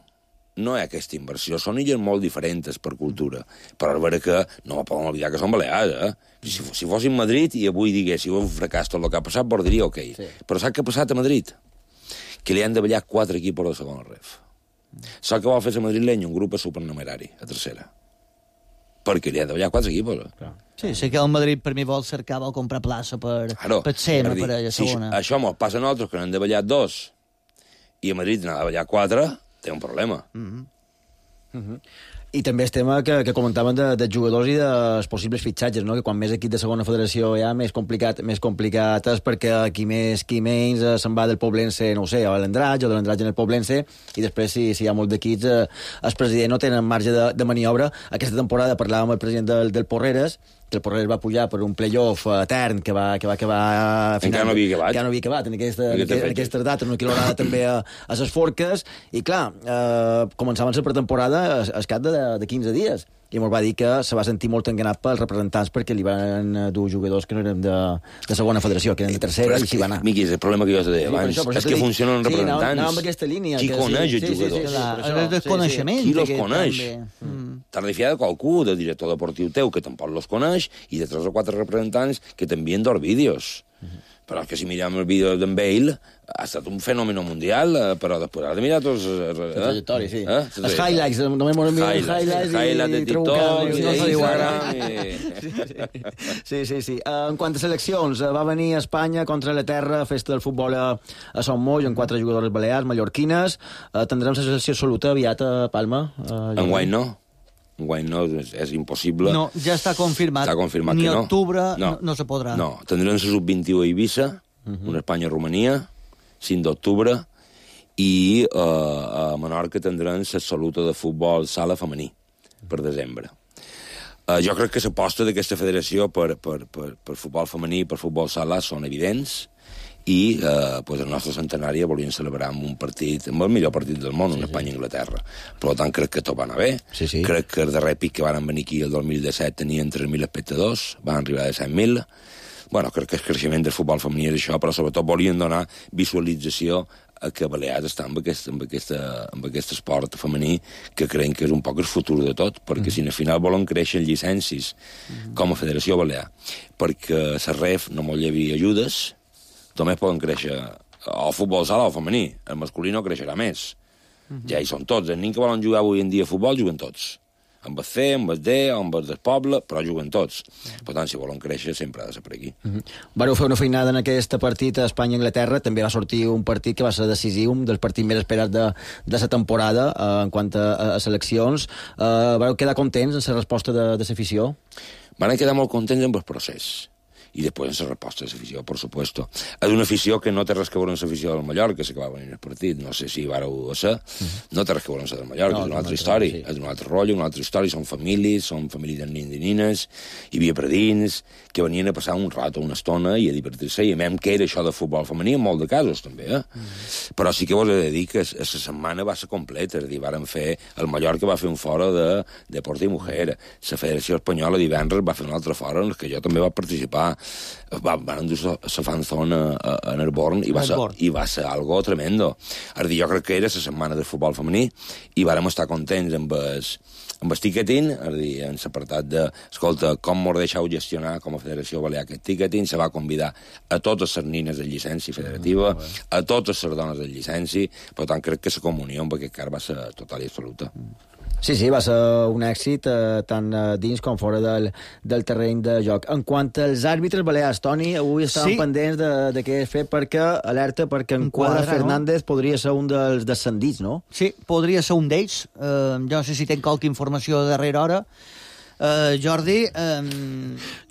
Speaker 16: No hi ha aquesta inversió. Són illes molt diferents per cultura. Però és vera que no podem oblidar que són balears, Si fossin Madrid i avui diguéssiu un fracàs tot el que ha passat, vos diria ok. Però saps què ha passat a Madrid? Que li han de ballar 4 equipos de segona ref. Saps què vol fer a Madrileny? Un grup supernumerari, a tercera. Perquè li han de ballar 4 equipos.
Speaker 9: Sí, sé que el Madrid per mi vol cercar, vol comprar plaça per SEMA, per a segona.
Speaker 16: Si això mos passa a nosaltres, que n'han de ballar 2, i a Madrid n'ha de ballar 4, té un problema.
Speaker 4: I també el tema que comentaven de jugadors i dels possibles fitxatges, no? Que quan més equip de segona federació hi ha, més complicat és perquè qui menys se'n va del Poblense, no ho sé, a l'Andratx o de l'Andratx en el Poblense, i després si hi ha molts d'equips, el president no tenen marge de maniobra. Aquesta temporada parlàvem amb el president del Porreres, que el Porreres va pujar per un playoff etern que va
Speaker 16: encara no
Speaker 4: havia acabat en aquestes dates, una quilorada també a les forques, i clar, començaven la pretemporada al cap de 15 dies, i ens va dir que se va sentir molt enganat pels representants perquè li van dur jugadors que no eren de segona federació, que eren de tercera, i s'hi va anar.
Speaker 16: Miqui, és el problema que jo te deia abans, és que funcionen els representants.
Speaker 4: Sí, anàvem amb aquesta línia.
Speaker 16: Qui coneix els jugadors?
Speaker 9: El desconeixement.
Speaker 16: Qui los coneix? T'has de fiar de qualcú, del director deportiu teu, que tampoc los coneix, i de 3 o 4 representants que t'envien dos vídeos. Però és que si mirem el vídeo d'en Bale, ha estat un fenòmeno mundial, però després has de mirar tots...
Speaker 4: La trajectòria, sí. Els highlights, només m'ho envien els highlights
Speaker 16: de TikTok,
Speaker 4: Sí. En quant a seleccions, va venir a Espanya contra la terra, festa del futbol a Son Moll, amb 4 jugadores balears, mallorquines. Tindrem la selecció absoluta aviat a Palma?
Speaker 16: Enguany no. Enguany no, és impossible.
Speaker 9: No, ja està confirmat.
Speaker 16: Està confirmat
Speaker 9: ni
Speaker 16: que no.
Speaker 9: Octubre no se podrà.
Speaker 16: No, tindrem la sub-21 a Eivissa, una Espanya-Romania, 5 d'octubre, i a Menorca tindrem l'absoluta de futbol sala femení, per desembre. Jo crec que l'aposta d'aquesta federació per futbol femení i per futbol sala són evidents, i el nostre centenari volien celebrar amb un partit, amb el millor partit del món, una Espanya-Anglaterra. Per tant, crec que tot va anar bé. Crec que el darrer pic que van venir aquí el 2017 tenien 3.000 espectadors, van arribar a 100.000. Bueno, crec que el creixement del futbol femení és això, però sobretot volien donar visualització a que Balears està amb aquest esport femení, que creiem que és un poc el futur de tot, perquè si al final volen créixer llicències com a Federació Balear, perquè a la REF no molt hi havia ajudes, només poden créixer o futbol sala o femení. El masculí no creixerà més. Ja hi són tots. Els nens que volen jugar avui en dia a futbol juguen tots. Amb el C, amb el D, amb el del poble, però juguen tots. Per tant, si volen créixer, sempre ha de ser per aquí.
Speaker 4: Vareu fer una feinada en aquest partit a Espanya-Anglaterra. També va sortir un partit que va ser decisiu, un dels partits més esperats de la temporada en quant a seleccions. Vareu quedar contents en la resposta de l'afició?
Speaker 16: Van quedar molt contents amb el procés. I després en la resposta de l'afició, per supuesto. És una afició que no té res que veure amb l'afició del Mallorca, que va venir el partit, no sé si vareu ser, no té res que veure amb la del Mallorca, és una altra història, és un altre rotllo, una altra història, són famílies de nens i nines, hi havia predins que venien a passar un rato, una estona, i a divertir-se, i a mem que era això de futbol femení, en molt de casos, també, Però sí que vos he de dir que la setmana va ser completa, és a dir, el Mallorca va fer un fora de Deporte i Mujer, la Federació Espanyola divendres va fer un altre fora en què jo també vaig participar, van endur la fanzona a Nerborn i va ser algo tremendo. És a dir, jo crec que era la setmana del futbol femení i vàrem estar contents amb el ticketing, és a dir, en l'apartat de, escolta, com mos deixeu gestionar com a Federació Balear aquest ticketing, se va convidar a totes les nines de llicència federativa, a totes les dones de llicència, per tant, crec que la comunió amb aquest car va ser total i absoluta.
Speaker 4: Sí, va ser un èxit tant dins com fora del terreny de joc. En quant als àrbitres balears, Toni, avui estàvem pendents de què és fet alerta perquè en Quadra Fernández podria ser un dels descendits, no?
Speaker 9: Sí, podria ser un d'ells. Jo no sé si tenc qualque informació de darrera hora. Jordi,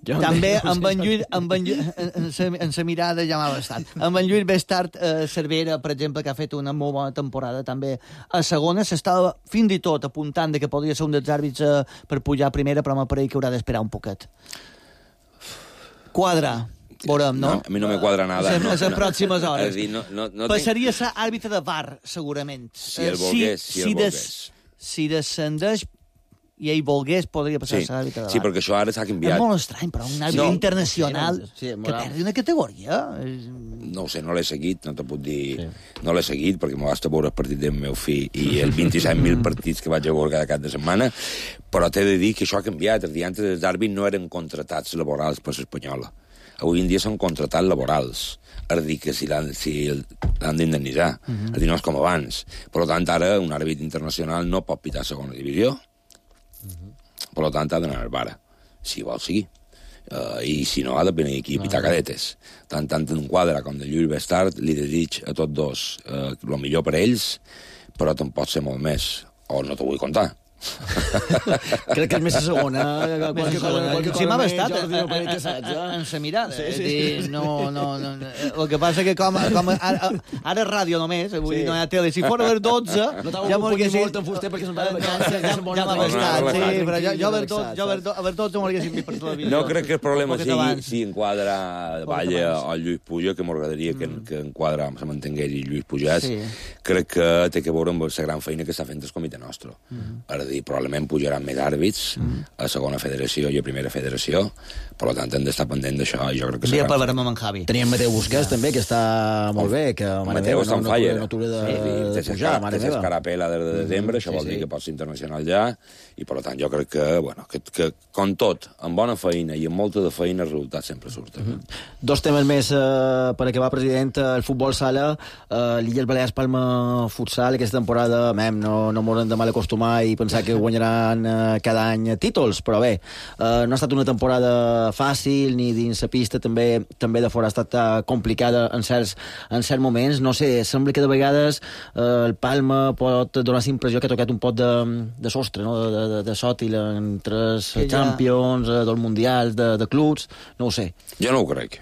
Speaker 9: també amb en Lluís en sa mirada ja m'ha bastat. Amb en Lluís Bestart Cervera, per exemple, que ha fet una molt bona temporada també a segona, s'estava fins i tot apuntant que podria ser un dels àrbits per pujar a primera, però m'apareix que haurà d'esperar un poquet. Quadra, veurem, no?
Speaker 16: A mi no me quadra nada.
Speaker 9: A les pròximes hores.
Speaker 16: No
Speaker 9: passaria a ser àrbitre de VAR, segurament.
Speaker 16: Si el volgués.
Speaker 9: Si descendeix i ell volgués, podria passar a ser àrbitre de VAR.
Speaker 16: Sí, perquè això ara s'ha canviat.
Speaker 9: És molt estrany, però un àrbitre internacional que perdi una categoria.
Speaker 16: No ho sé, no l'he seguit, no te puc dir... No l'he seguit, perquè m'ho basta veure el partit del meu fill i els 27.000 partits que vaig a veure cada cap de setmana, però t'he de dir que això ha canviat. Antes els àrbits no eren contratats laborals per l'Espanyola. Avui en dia són contratats laborals. És a dir, que si l'han d'indemnitzar. És a dir, no és com abans. Per tant, ara un àrbit internacional no pot pitar segona divisió. Per tant, ha d'anar al VAR, si vol seguir. I si no, ha de venir aquí a pitar cadetes. Tant en Quadra com de Lluís Bestart li desig a tots dos el millor per ells, però te'n pot ser molt més. O no t'ho vull contar.
Speaker 4: Crec que és més a segona.
Speaker 9: Si m'ha bastat en sa mirada. No. El que passa que com ara és ràdio només, vull dir, no hi ha tele. Si fora a les 12...
Speaker 4: Ja m'ho hagués molt en fuster perquè
Speaker 9: ja m'ha bastat, sí, però jo a les 12 m'ho haguéssim vist per televisió.
Speaker 16: No crec que el problema sigui enquadra Valla o Lluís Puja, que m'agradaria que enquadra se mantingués i Lluís Pujàs. Crec que té que veure amb la gran feina que està fent el comitè nostre. Ara dir, probablement pujaran més àrbits a segona federació i a primera federació, per tant hem d'estar pendent d'això i jo crec que
Speaker 9: serà... parlarem amb en Javi.
Speaker 4: Teníem Mateu Busquets també, que està molt bé, que
Speaker 16: Mateu està en falla.
Speaker 4: No atura de pujar, mare meva.
Speaker 16: Té escarapela des de desembre, això vol dir que pot ser internacional ja, i per tant jo crec que com tot, amb bona feina i amb molta de feina, el resultat sempre surt.
Speaker 4: Dos temes més per acabar, president. El futbol sala, l'Illes Balears Palma Futsal, aquesta temporada no m'haurem de mal acostumar i pensar que guanyaran cada any títols, però bé, no ha estat una temporada fàcil, ni dins la pista també de fora ha estat complicada en certs moments. No sé, sembla que de vegades el Palma pot donar la impressió que ha tocat un pot de sostre, no? de sòtil entre els Champions, dels Mundials, de clubs, no ho sé.
Speaker 16: Jo no ho crec.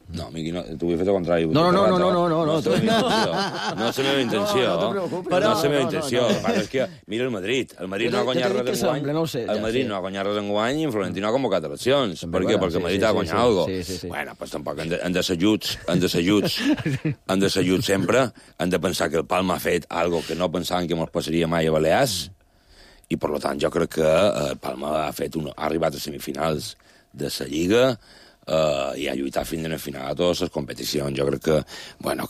Speaker 16: No, Miqui, t'ho vull fer el contrari.
Speaker 4: No.
Speaker 16: No és la meva intenció. No és la meva intenció. El que passa és que mira el Madrid. El Madrid no ha guanyat res enguany. El Madrid no ha guanyat res enguany i en Florentino ha convocat eleccions. Per què? Perquè el Madrid ha guanyat alguna cosa. Bueno, doncs tampoc han de ser ajuts sempre. Han de pensar que el Palma ha fet algo que no pensaven que ens passaria mai a Balears. I, per tant, jo crec que el Palma ha arribat a semifinals de la Lliga i ha lluitat fins a la final a totes les competicions. Jo crec que,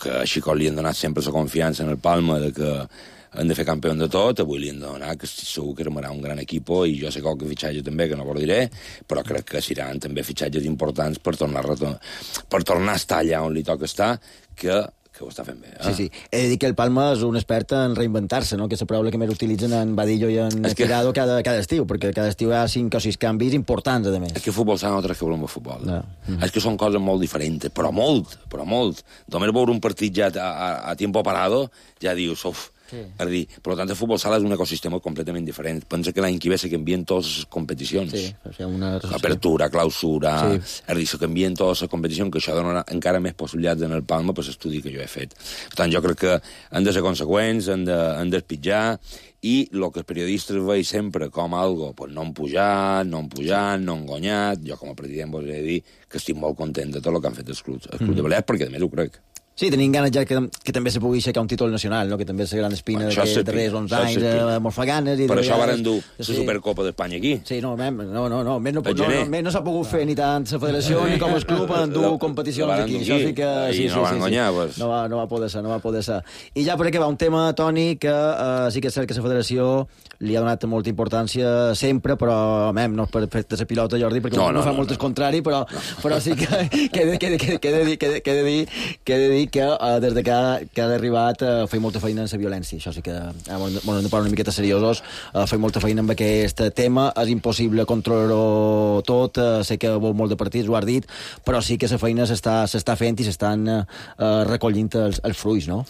Speaker 16: que així com li han donat sempre la confiança en el Palma de que han de fer campió de tot, avui li han de donar, que segur que armarà un gran equip, i jo sé qualque fitxatge també, que no ho diré, però crec que seran també fitxatges importants per tornar a estar allà on li toca estar, que ho està fent bé.
Speaker 4: Sí. He de dir que el Palma és un expert en reinventar-se, no? Que és la paraula que més utilitzen en Badillo i en Tirado cada estiu, perquè cada estiu hi ha 5 o 6 canvis importants, a més.
Speaker 16: És que futbol s'ha nosaltres que volem el futbol. No. És que són coses molt diferents, però molt. Només veure un partit ja a tiempo parado, ja dius, Sí. Per tant, el futbol sala és un ecosistema completament diferent. Pensa que l'any que ve se canvien totes les competicions.
Speaker 4: Sí,
Speaker 16: apertura, clausura... Se canvien totes les competicions, que això donarà encara més possibilitats en el Palma per l'estudi que jo he fet. Per tant, jo crec que han de ser conseqüents, han d'espitjar, i el que els periodistes veuen sempre com algo, pues no han pujat, no han guanyat. Jo, com a president, vos he de dir que estic molt content de tot el que han fet els clubs de Balears, perquè a més ho crec.
Speaker 4: Sí, tenim ganes ja que també se pugui aixecar un títol nacional, no? Que també és la gran espina d'aquests darrers 11 anys, molt fa ganes.
Speaker 16: Per això varen dur la Supercopa d'Espanya aquí.
Speaker 4: Sí, no s'ha pogut fer ni tant la federació ni com el club en dur competicions aquí.
Speaker 16: I no van guanyar.
Speaker 4: No va poder ser. I ja per acabar, un tema, Toni, que sí que és cert que la federació li ha donat molta importància sempre, però no és per fer de la pilota, Jordi, perquè no fa molt el contrari, però sí que he de dir que des de que ha arribat feia molta feina en la violència. Això sí que, hem de parlar una miqueta seriosos, feia molta feina amb aquest tema. És impossible controlar-ho tot, sé que vol molt de partits, ho has dit, però sí que la feina s'està fent i s'estan recollint els fruits, no?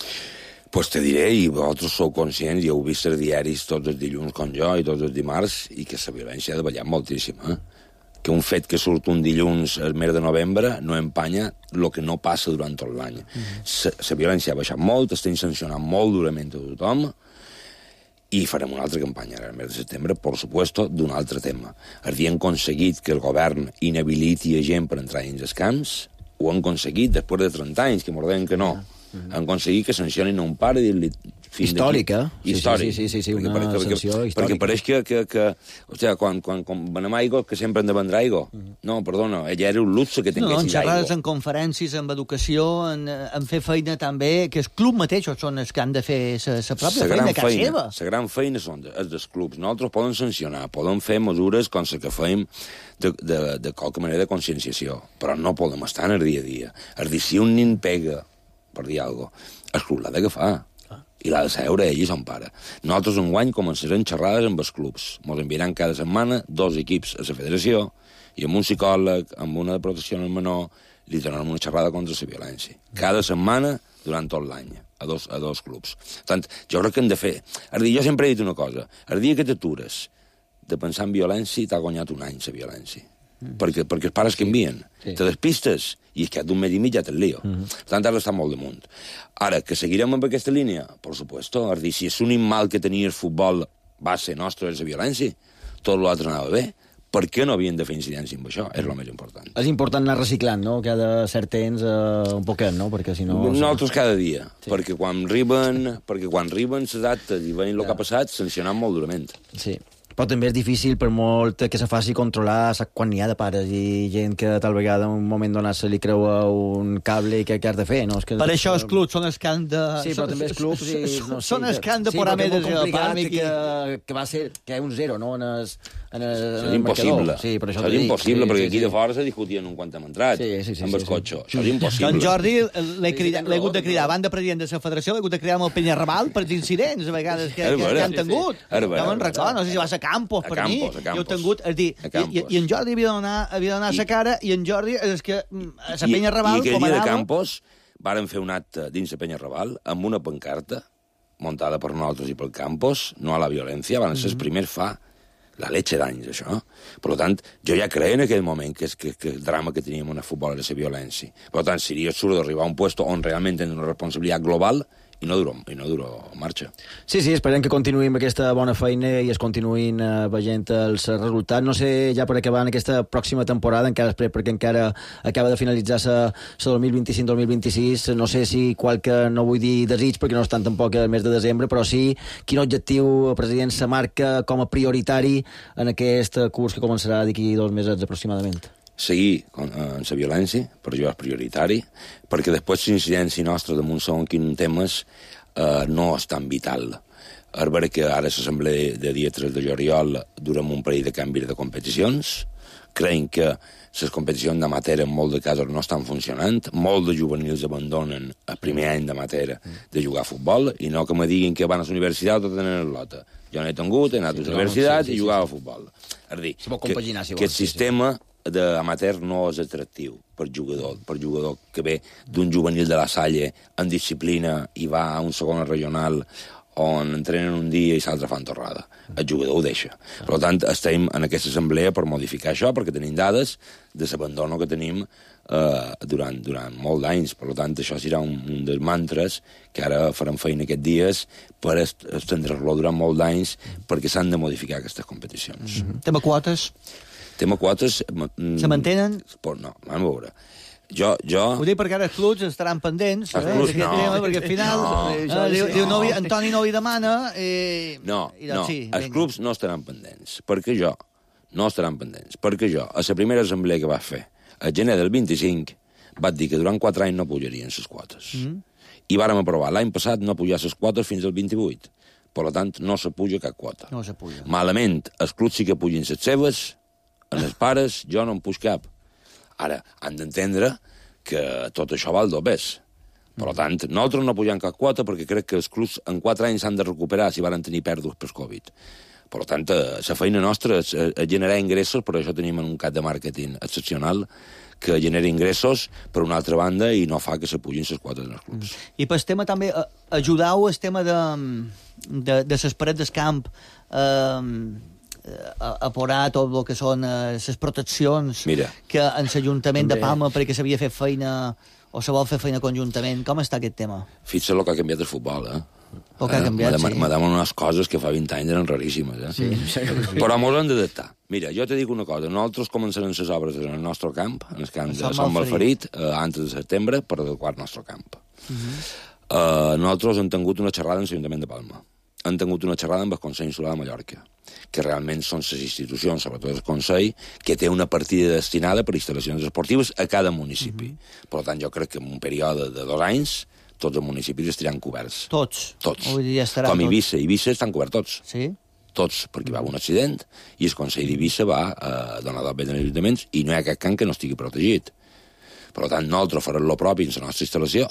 Speaker 16: Pues te diré, i vosaltres sou conscients, i heu vist els diaris tots els dilluns com jo i tots els dimarts, i que la violència ha davallat moltíssim, que un fet que surt un dilluns al mes de novembre no empanya el que no passa durant tot l'any. La violència ha baixat molt, estem sancionant molt durament a tothom, i farem una altra campanya al mes de setembre, per supuesto, d'un altre tema. Havien aconseguit que el govern inhabiliti a gent per entrar dins els camps, ho han aconseguit després de 30 anys, que m'ho deien que no. Han aconseguit que sancionin un pare i dir-li...
Speaker 4: Històric,
Speaker 16: Històric.
Speaker 4: Sí, una sanció històrica.
Speaker 16: Perquè pareix que quan venem aigua, que sempre hem de vendre aigua. No, perdona, ella era un luxe que tinguessis aigua.
Speaker 9: En xerrades, en conferències, en educació, en fer feina també, que els clubs mateixos són els que han de fer la pròpia feina a casa seva.
Speaker 16: La gran feina és dels clubs. Nosaltres podem sancionar, podem fer mesures com la que fem de qualque manera de conscienciació, però no podem estar en el dia a dia. És dir, si un nin pega, per dir alguna cosa, el club l'ha d'agafar. I l'ha de seure ell i son pare. Nosaltres enguany començarem xerrades amb els clubs. Ens enviaran cada setmana 2 equips a la federació i amb un psicòleg, amb una de protecció al menor, li donem una xerrada contra la violència. Cada setmana durant tot l'any, a dos clubs. Per tant, jo crec que hem de fer... Jo sempre he dit una cosa. El dia que t'atures de pensar en violència, t'ha guanyat un any la violència. Perquè els pares canvien. Te despistes i és que d'un mes i mig ja te'n lío. Per tant, ara està molt damunt. Ara, que seguirem amb aquesta línia? Per supuesto. És dir, si és un mal que tenia el futbol base nostre és la violència, tot l'altre anava bé, per què no havien de fer incidència amb això? És el més important.
Speaker 4: És important anar reciclant, no? Cada cert temps un poquet, no? Perquè si no...
Speaker 16: Nosaltres cada dia. Perquè quan arriben les actes i veiem el que ha passat, sancionant molt durament.
Speaker 4: Sí. Però també és difícil, per molt que se faci controlar, quan n'hi ha de pares i gent que tal vegada en un moment donat se li creua un cable i què has de fer, no?
Speaker 9: Per això els clubs són els que han de...
Speaker 4: Sí, però també els clubs...
Speaker 9: Són els que han de posar més de
Speaker 4: que va ser que hi ha un 0, no?
Speaker 16: És impossible.
Speaker 4: Sí, per això
Speaker 16: és impossible, perquè aquí de fora se discutien un quant hem entrat amb el cotxe. Això és impossible.
Speaker 9: Doncs Jordi, l'he hagut de cridar, abans de president de la federació, l'he hagut de cridar amb el Penyarrabal per incidents, a vegades, que han tingut. No me'n recordo, no sé si va ser Campos, per mi. Jo he tingut... I en Jordi havia de donar la cara, i en Jordi és que a la Penyarrabal...
Speaker 16: I aquell dia de Campos varen fer un acte dins la Penyarrabal amb una pancarta muntada per nosaltres i pel Campos, no a la violència, van ser els primers fa la leche d'anys, això. Per tant, jo ja creia en aquell moment que el drama que teníem en el futbol era la violència. Per tant, seria absurd arribar a un lloc on realment tenen una responsabilitat global i no duro marxa.
Speaker 4: Sí, esperem que continuïm aquesta bona feina i es continuïn veient els resultats. No sé, ja per acabar en aquesta pròxima temporada, encara perquè encara acaba de finalitzar la 2025-2026, no sé si qualque, no vull dir desig, perquè no estan tampoc el mes de desembre, però sí, quin objectiu, president, se marca com a prioritari en aquest curs que començarà d'aquí 2 mesos aproximadament?
Speaker 16: Seguir en la violència, per jo és prioritari, perquè després l'incidència nostra damunt segons quins temes no és tan vital. és vera que ara l'assemblea de dia 3 de juliol durem un parell de canvis de competicions. Creiem que les competicions d'amateur en molts de casos no estan funcionant. Molts de juvenils abandonen el primer any d'amateur de jugar a futbol i no que me diguin que van a la universitat o tenen el lota. Jo n'he tingut, he anat a la universitat i jugava a futbol. És a dir, que el sistema d'amateur no és atractiu per jugador que ve d'un juvenil de la Salle en disciplina i va a un segon regional on entrenen un dia i l'altre fan torrada. El jugador ho deixa. Per tant, estem en aquesta assemblea per modificar això, perquè tenim dades de l'abandono que tenim durant molts d'anys. Per tant, això serà un dels mantres que ara farem feina aquests dies per estendre-lo durant molts d'anys perquè s'han de modificar aquestes competicions.
Speaker 9: Tema quotes?
Speaker 16: Tema quotes...
Speaker 9: Se mantenen?
Speaker 16: No, vam veure. Jo...
Speaker 9: Ho dic perquè ara els clubs estaran pendents d'aquest tema, perquè al final diu Antoni no hi demana
Speaker 16: els clubs no estaran pendents, perquè jo a la primera assemblea que va fer a gener del 25 vaig dir que durant 4 anys no pujarien les quotes i vàrem aprovar l'any passat no pujar les quotes fins al 28, per tant no se puja cap quota. Malament, els clubs sí que pugin les seves, en els pares jo no en puig cap. Ara, han d'entendre que tot això val dobbers. Per tant, nosaltres no pugem cap quota perquè crec que els clubs en 4 anys s'han de recuperar si van tenir pèrdues per Covid. Per tant, la feina nostra és generar ingressos, per això tenim un cap de màrqueting excepcional que genera ingressos per una altra banda i no fa que se pugin les quotes en els clubs.
Speaker 9: I pel tema també, ajudau el tema de les parets del camp a porar tot el que són les proteccions que en l'Ajuntament de Palma perquè s'havia fet feina o se vol fer feina conjuntament. Com està aquest tema?
Speaker 16: Fixa el que ha canviat el futbol,
Speaker 9: El que ha canviat, sí.
Speaker 16: Me damen unes coses que fa 20 anys eren raríssimes, Però mos hem d'adaptar. Mira, jo te dic una cosa. Nosaltres començarem les obres en el nostre camp, en el camp de Sant Malferit, antes de setembre, per adequar el nostre camp. Nosaltres hem tingut una xerrada en l'Ajuntament de Palma. Han tingut una xerrada amb el Consell Insular de Mallorca, que realment són les institucions, sobretot el Consell, que té una partida destinada per instal·lacions esportives a cada municipi. Per tant, jo crec que en un període de 2 anys tots els municipis estaran coberts.
Speaker 9: Tots?
Speaker 16: Tots.
Speaker 9: Com
Speaker 16: Eivissa estan coberts tots.
Speaker 9: Sí?
Speaker 16: Tots, perquè va haver un accident i el Consell d'Eivissa va donar d'obert als ajuntaments i no hi ha cap camp que no estigui protegit. Per tant, nosaltres farem el propi en la nostra instal·lació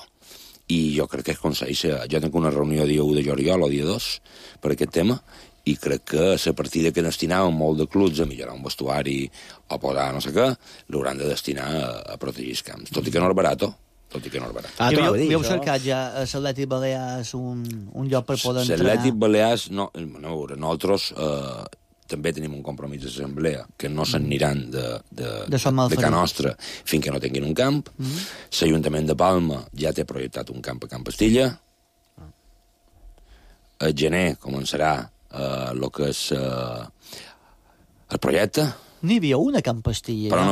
Speaker 16: i jo crec que el Consell... Jo tinc una reunió dia 1 de juliol o dia 2 per aquest tema i crec que la partida que destinaven molt de clubs a millorar un vestuari o posar no sé què, l'hauran de destinar a protegir els camps. Tot i que no és barat,
Speaker 9: Heu cercat ja a l'Atlètic Balears un lloc per poder entrenar?
Speaker 16: L'Atlètic Balears, nosaltres també tenim un compromís d'assemblea que no s'aniran de Can Nostra fins que no tinguin un camp. L'Ajuntament de Palma ja té projectat un camp a Camp Estilla. A gener començarà el que és el projecte.
Speaker 9: N'hi havia una a Camp Estilla.
Speaker 16: Però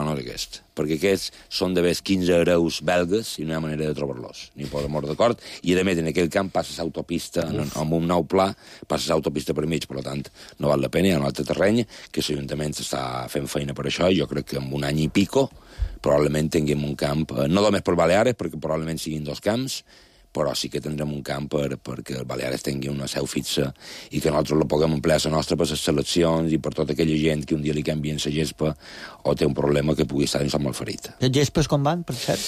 Speaker 16: no d'aquest. Perquè aquests són d'haver 15 hereus belgues i no hi ha manera de trobar-los, ni per amor d'acord, i a més en aquell camp passa l'autopista, amb un nou pla, passa l'autopista per mig, per tant, no val la pena, hi ha un altre terreny que l'Ajuntament està fent feina per això, i jo crec que en un any i pico probablement tinguem un camp, no només per Baleares, perquè probablement siguin 2 camps, però sí que tindrem un camp perquè el Baleares tingui una seu fixa i que nosaltres la puguem emplear a la nostra per les seleccions i per tota aquella gent que un dia li canvien la gespa o té un problema que pugui estar en Sant Malferit.
Speaker 9: Les gespes com van, per cert?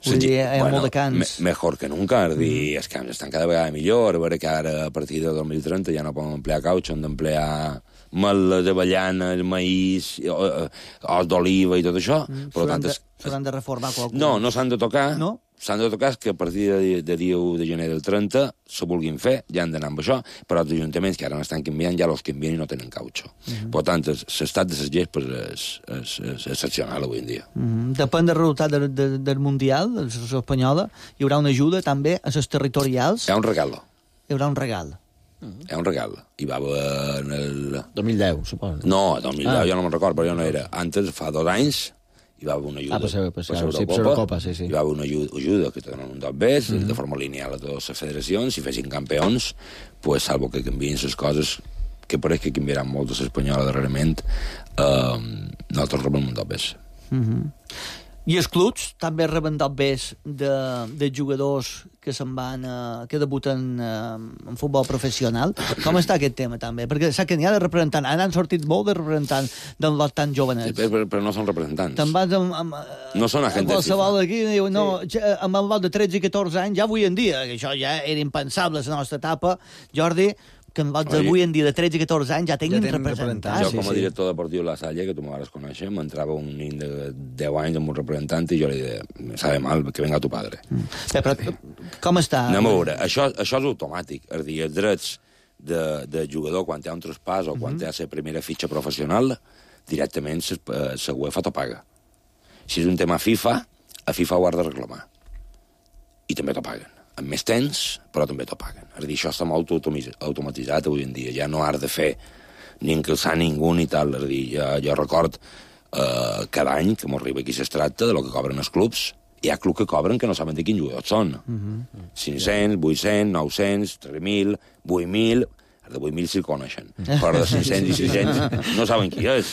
Speaker 9: Vull dir, hi ha molt de camps.
Speaker 16: Mejor que nunca, és dir, els camps estan cada vegada millor, a veure que ara a partir de 2030 ja no poden emplear caucho, han d'emplear meles, avellanes, maïs, os d'oliva i tot això.
Speaker 9: S'hauran de reformar qualcú?
Speaker 16: No s'han de tocar.
Speaker 9: No?
Speaker 16: S'han de tocar que a partir de dia 1 de gener del 30 se vulguin fer, ja han d'anar amb això, però els ajuntaments que ara n'estan canviant ja els canvien i no tenen caucho. Per tant, l'estat de les gespes és excepcional avui en dia.
Speaker 9: Depèn del resultat del Mundial, de la selecció espanyola, hi haurà una ajuda també a les territorials?
Speaker 16: Hi ha un regal.
Speaker 9: Hi haurà un regal.
Speaker 16: Hi ha un regal. Hi va haver en el...
Speaker 4: 2010, suposo.
Speaker 16: No, 2010 jo no me'n recordo, però jo no era. Antes, fa 2 anys, hi va haver una ajuda per l'Eurocopa, hi va haver una ajuda que te donen un dos bes, de forma lineal a totes les federacions, si fessin campions, pues, salvo que canvien les coses, que pareix que canviaran molt de l'espanyola darrerament, nosaltres rebem un dos bes.
Speaker 9: I els clubs també reben dobbers de jugadors que se'n van, que debuten en futbol professional. Com està aquest tema, també? Perquè sap que n'hi ha de representants. Han sortit molt de representants del lot tan jovenets.
Speaker 16: Sí, però no són representants.
Speaker 9: Te'n vas
Speaker 16: no són agents de FIFA.
Speaker 9: Qualsevol aquí diu, no, amb el lot de 13 i 14 anys, ja avui en dia, que això ja era impensable a la nostra etapa, Jordi, que en lots d'avui en dia de 13 i 14 anys ja tinguin representants.
Speaker 16: Jo, com a director deportiu de la Salle, que tu m'ho vas conèixer, m'entrava un nin de 10 anys amb un representant i jo li deia, me sabe mal, que venga tu padre.
Speaker 9: Però com està?
Speaker 16: Anem a veure, això és automàtic. És a dir, els drets de jugador, quan té un traspàs o quan té la primera fitxa professional, directament la UEFA t'ho paga. Si és un tema FIFA, a FIFA ho has de reclamar. I també t'ho paguen. Amb més temps, però també t'ho paguen. És a dir, això està molt automatitzat avui en dia. Ja no has de fer ni encalçar ningú ni tal. És a dir, jo record cada any que m'arriba aquí s'estracta de lo que cobren els clubs. Hi ha clubs que cobren que no saben de quins jugadors són. 500, 800, 900, 3.000, 8.000... Els de 8.000 sí el coneixen. Però de 500 i 600 no saben qui és.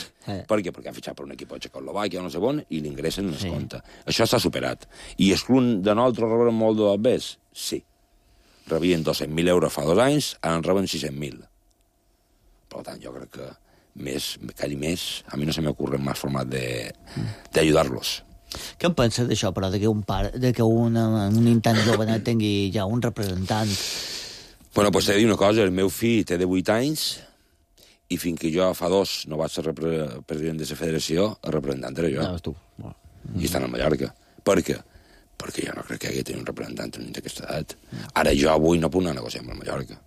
Speaker 16: Per què? Perquè han fitxat per un equip a Txecoslovàquia o no sé on i l'ingressen en el compte. Això s'ha superat. I els clubs de nosaltres reben molt de dobbers? Sí. Rebien 200.000 euros fa 2 anys, ara en reben 600.000. Per tant, jo crec que a mi no se m'ocorre més format d'ajudar-los.
Speaker 9: Què en penses d'això, però, que un intent jovenet tingui ja un representant?
Speaker 16: Bueno, pues t'he de dir una cosa, el meu fill té de 8 anys i fins que jo fa 2 no vaig ser president de la federació, el representant era jo.
Speaker 4: Tu.
Speaker 16: I estan a Mallorca. Per què? Perquè jo no crec que hagi de tenir un representant d'aquesta edat. Ara jo avui no puc anar a negociar amb el Mallorca.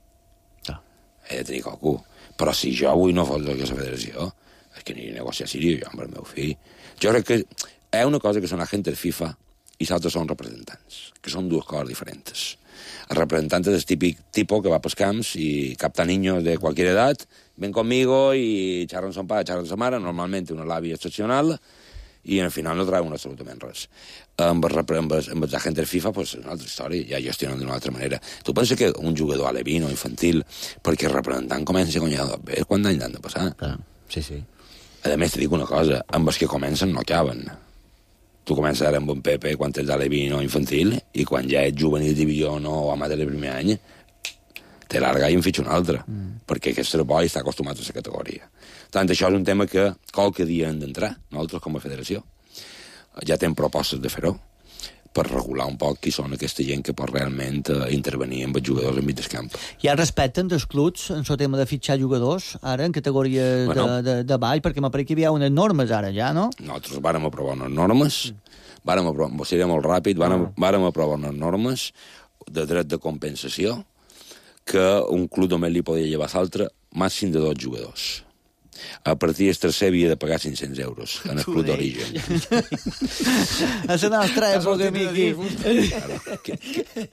Speaker 16: He de tenir qualcú. Però si jo avui no fos de la federació, és que aniré a negociar a Síria jo amb el meu fill. Jo crec que hi ha una cosa que són agents de FIFA i l'altra són representants, que són dues coses diferents. El representant és el típic tipo que va pels camps i capta niños de cualquier edad, ven conmigo y xerren son pare, xerren sa mare, normalment una l'àvia excepcional, i al final no trauen absolutament res. Amb els agents FIFA, pues, és una altra història, ja gestionen d'una altra manera. Tu penses que un jugador alevino, infantil, perquè el representant comença a guanyar bé, quant d'anys han de passar?
Speaker 4: Sí, sí.
Speaker 16: A més, te dic una cosa, amb els que comencen no acaben. Tu comences ara amb un Pepe quan ets alevino infantil i quan ja ets juvenil divisió o amateur el primer any te larga i en fitxa un altre perquè aquest boi està acostumat a la categoria. Tant això és un tema que qualque dia hem d'entrar, nosaltres com a federació. Ja tenim propostes de fer-ho per regular un poc qui són aquesta gent que pot realment intervenir amb els jugadors en mig del camp.
Speaker 9: Ja respecten dels clubs en el tema de fitxar jugadors, ara, en categoria de ball, perquè m'apareix que hi havia unes normes ara, ja, no?
Speaker 16: Nosaltres vàrem aprovar unes normes, seria molt ràpid, vàrem aprovar unes normes de dret de compensació que un club només li podia llevar a l'altre màxim de 2 jugadors. A partir del tercer havia de pagar 500 euros en el club d'origen.
Speaker 9: A la nostra època, Miqui.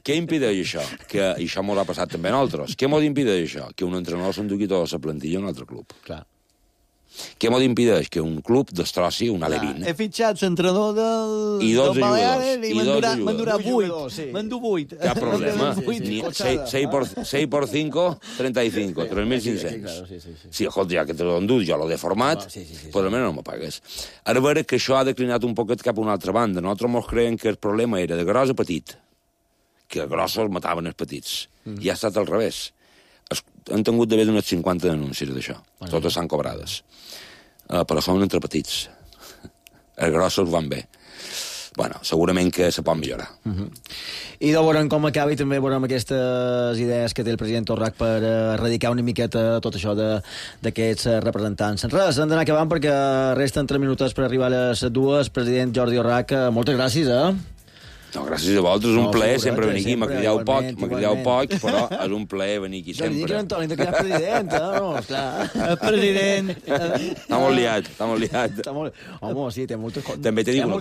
Speaker 16: Què impedeix això? Que això m'ho ha passat també a nosaltres. Què m'ho impedeix això? Que un entrenador s'enduqui tota la plantilla a un altre club.
Speaker 4: Clar.
Speaker 16: Què m'ho impedeix? Que un club destrossi un alevín.
Speaker 9: He fitxat l'entrenador del Baleares i me'n durà 8. Me'n du 8.
Speaker 16: Cap problema. 6 por 5, 35, 3.500. Sí, escolta, ja que te l'ho endut, jo l'ho he format, però almenys no me pagues. Ara veure que això ha declinat un poquet cap a una altra banda. Nosaltres ens creiem que el problema era de gros a petit, que els grossos mataven els petits. I ha estat al revés. Han tingut d'haver unes 50 denúncies d'això. Totes s'han cobrades. Però són entre petits. Els grossos van bé. Bueno, segurament que se pot millorar.
Speaker 4: I de veurem com acaba i també veurem aquestes idees que té el president Torrac per erradicar una miqueta tot això d'aquests representants. Res, hem d'anar acabant perquè resten 3 minuts per arribar a les 2. President Jordi Torrac, moltes gràcies,
Speaker 16: No, gràcies a vosaltres, és un plaer sempre venir aquí. M'ha cridat poc, però és un plaer venir aquí sempre.
Speaker 4: No li dic que Antoni, que és president, no? Esclar.
Speaker 9: El president...
Speaker 16: Està molt liat.
Speaker 4: Home, sí, té moltes coses.
Speaker 16: També t'he dit una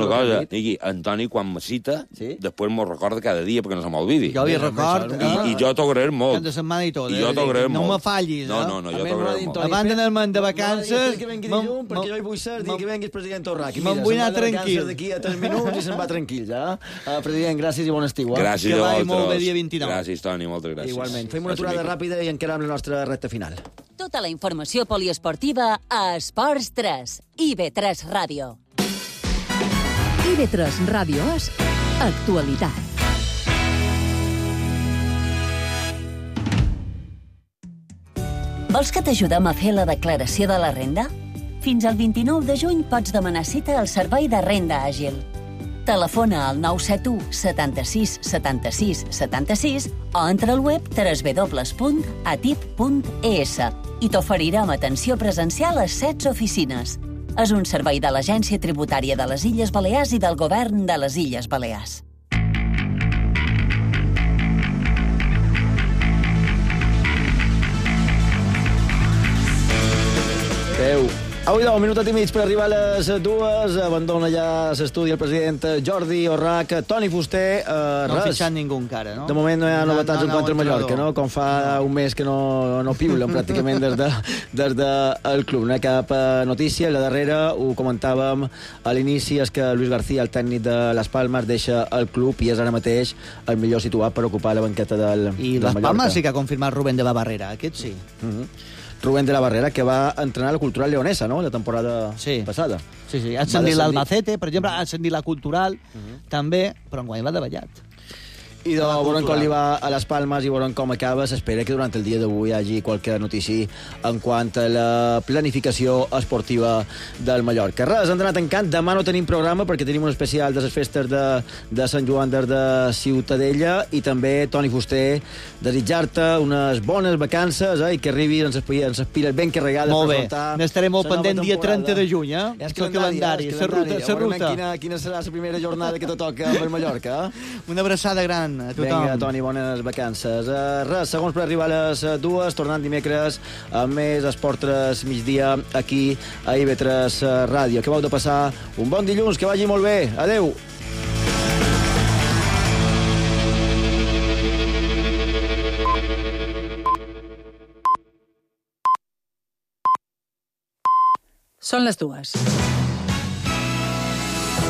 Speaker 16: cosa. Niqui, Antoni, quan me cita, després m'ho recorda cada dia perquè no se m'olvidi.
Speaker 9: Jo li record.
Speaker 16: I jo t'ho agrairé molt.
Speaker 9: Cada setmana i tot.
Speaker 16: I jo t'ho agrairé molt.
Speaker 9: No me fallis,
Speaker 16: No, jo t'ho agrairé molt.
Speaker 9: Abans d'anar-me'n de vacances...
Speaker 4: Que vengui dilluns, perquè jo hi vull ser, que vengui el president Torrac.
Speaker 9: Me'n vull anar tranquil.
Speaker 4: D'aquí a 3 minuts i se'n va tranquil, ja. President, gràcies i bon estiu.
Speaker 16: Gràcies a vosaltres.
Speaker 9: Que vagi molt bé dia 29.
Speaker 16: Gràcies, Toni, moltes gràcies.
Speaker 4: Igualment. Fem una aturada ràpida i encara amb la nostra recta final.
Speaker 3: Tota la informació poliesportiva a Esports 3 i IB3 Ràdio.
Speaker 2: IB3 Ràdio és actualitat.
Speaker 3: Vols que t'ajudem a fer la declaració de la renda? Fins al 29 de juny pots demanar cita al Servei de Renda Àgil. Telefona al 971 76 76 76 o entra al web www.atip.es i t'oferirem atenció presencial a 16 oficines. És un servei de l'Agència Tributària de les Illes Balears i del Govern de les Illes Balears.
Speaker 4: Avui 10 minuts i mig per arribar a les 2. Abandona ja l'estudi el president Jordi Orrach. Toni Fuster,
Speaker 9: no
Speaker 4: res.
Speaker 9: ha fitxat ningú encara, no?
Speaker 4: De moment no hi ha novetats en quant al Mallorca, no? Com fa un mes que no piulen pràcticament des del club. No hi ha cap notícia. La darrera, ho comentàvem a l'inici, és que Luis García, el tècnic de Las Palmas, deixa el club i és ara mateix el millor situat per ocupar la banqueta del Mallorca.
Speaker 9: I Las Palmas sí que ha confirmat Rubén de la Barrera, aquest sí.
Speaker 4: Rubén de la Barrera, que va entrenar la Cultural Leonesa, no?, la temporada passada.
Speaker 9: Sí, ha ascendit l'Albacete, per exemple, ha ascendit la Cultural, també, però enguany l'ha davallat.
Speaker 4: I veurem com li va a les Palmes i veurem com acaba. S'espera que durant el dia d'avui hi hagi qualque notícia en quant a la planificació esportiva del Mallorca. Res, han anat tancant. Demà no tenim programa perquè tenim un especial de les festes de Sant Joan de Ciutadella i també, Toni Fuster, desitjar-te unes bones vacances i que arribis ens espires ben carregades.
Speaker 9: Molt bé, n'estaré molt pendent dia 30 de juny,
Speaker 4: És el calendari,
Speaker 9: la ruta.
Speaker 4: Quina serà la primera jornada que te toca amb el Mallorca.
Speaker 9: Una abraçada gran a tothom.
Speaker 4: Vinga, Toni, bones vacances. Res, segons per arribar a les 2, tornant dimecres amb més Esport 3 migdia aquí a IB3 Ràdio. Acabeu de passar un bon dilluns, que vagi molt bé. Adeu.
Speaker 17: Són les 2.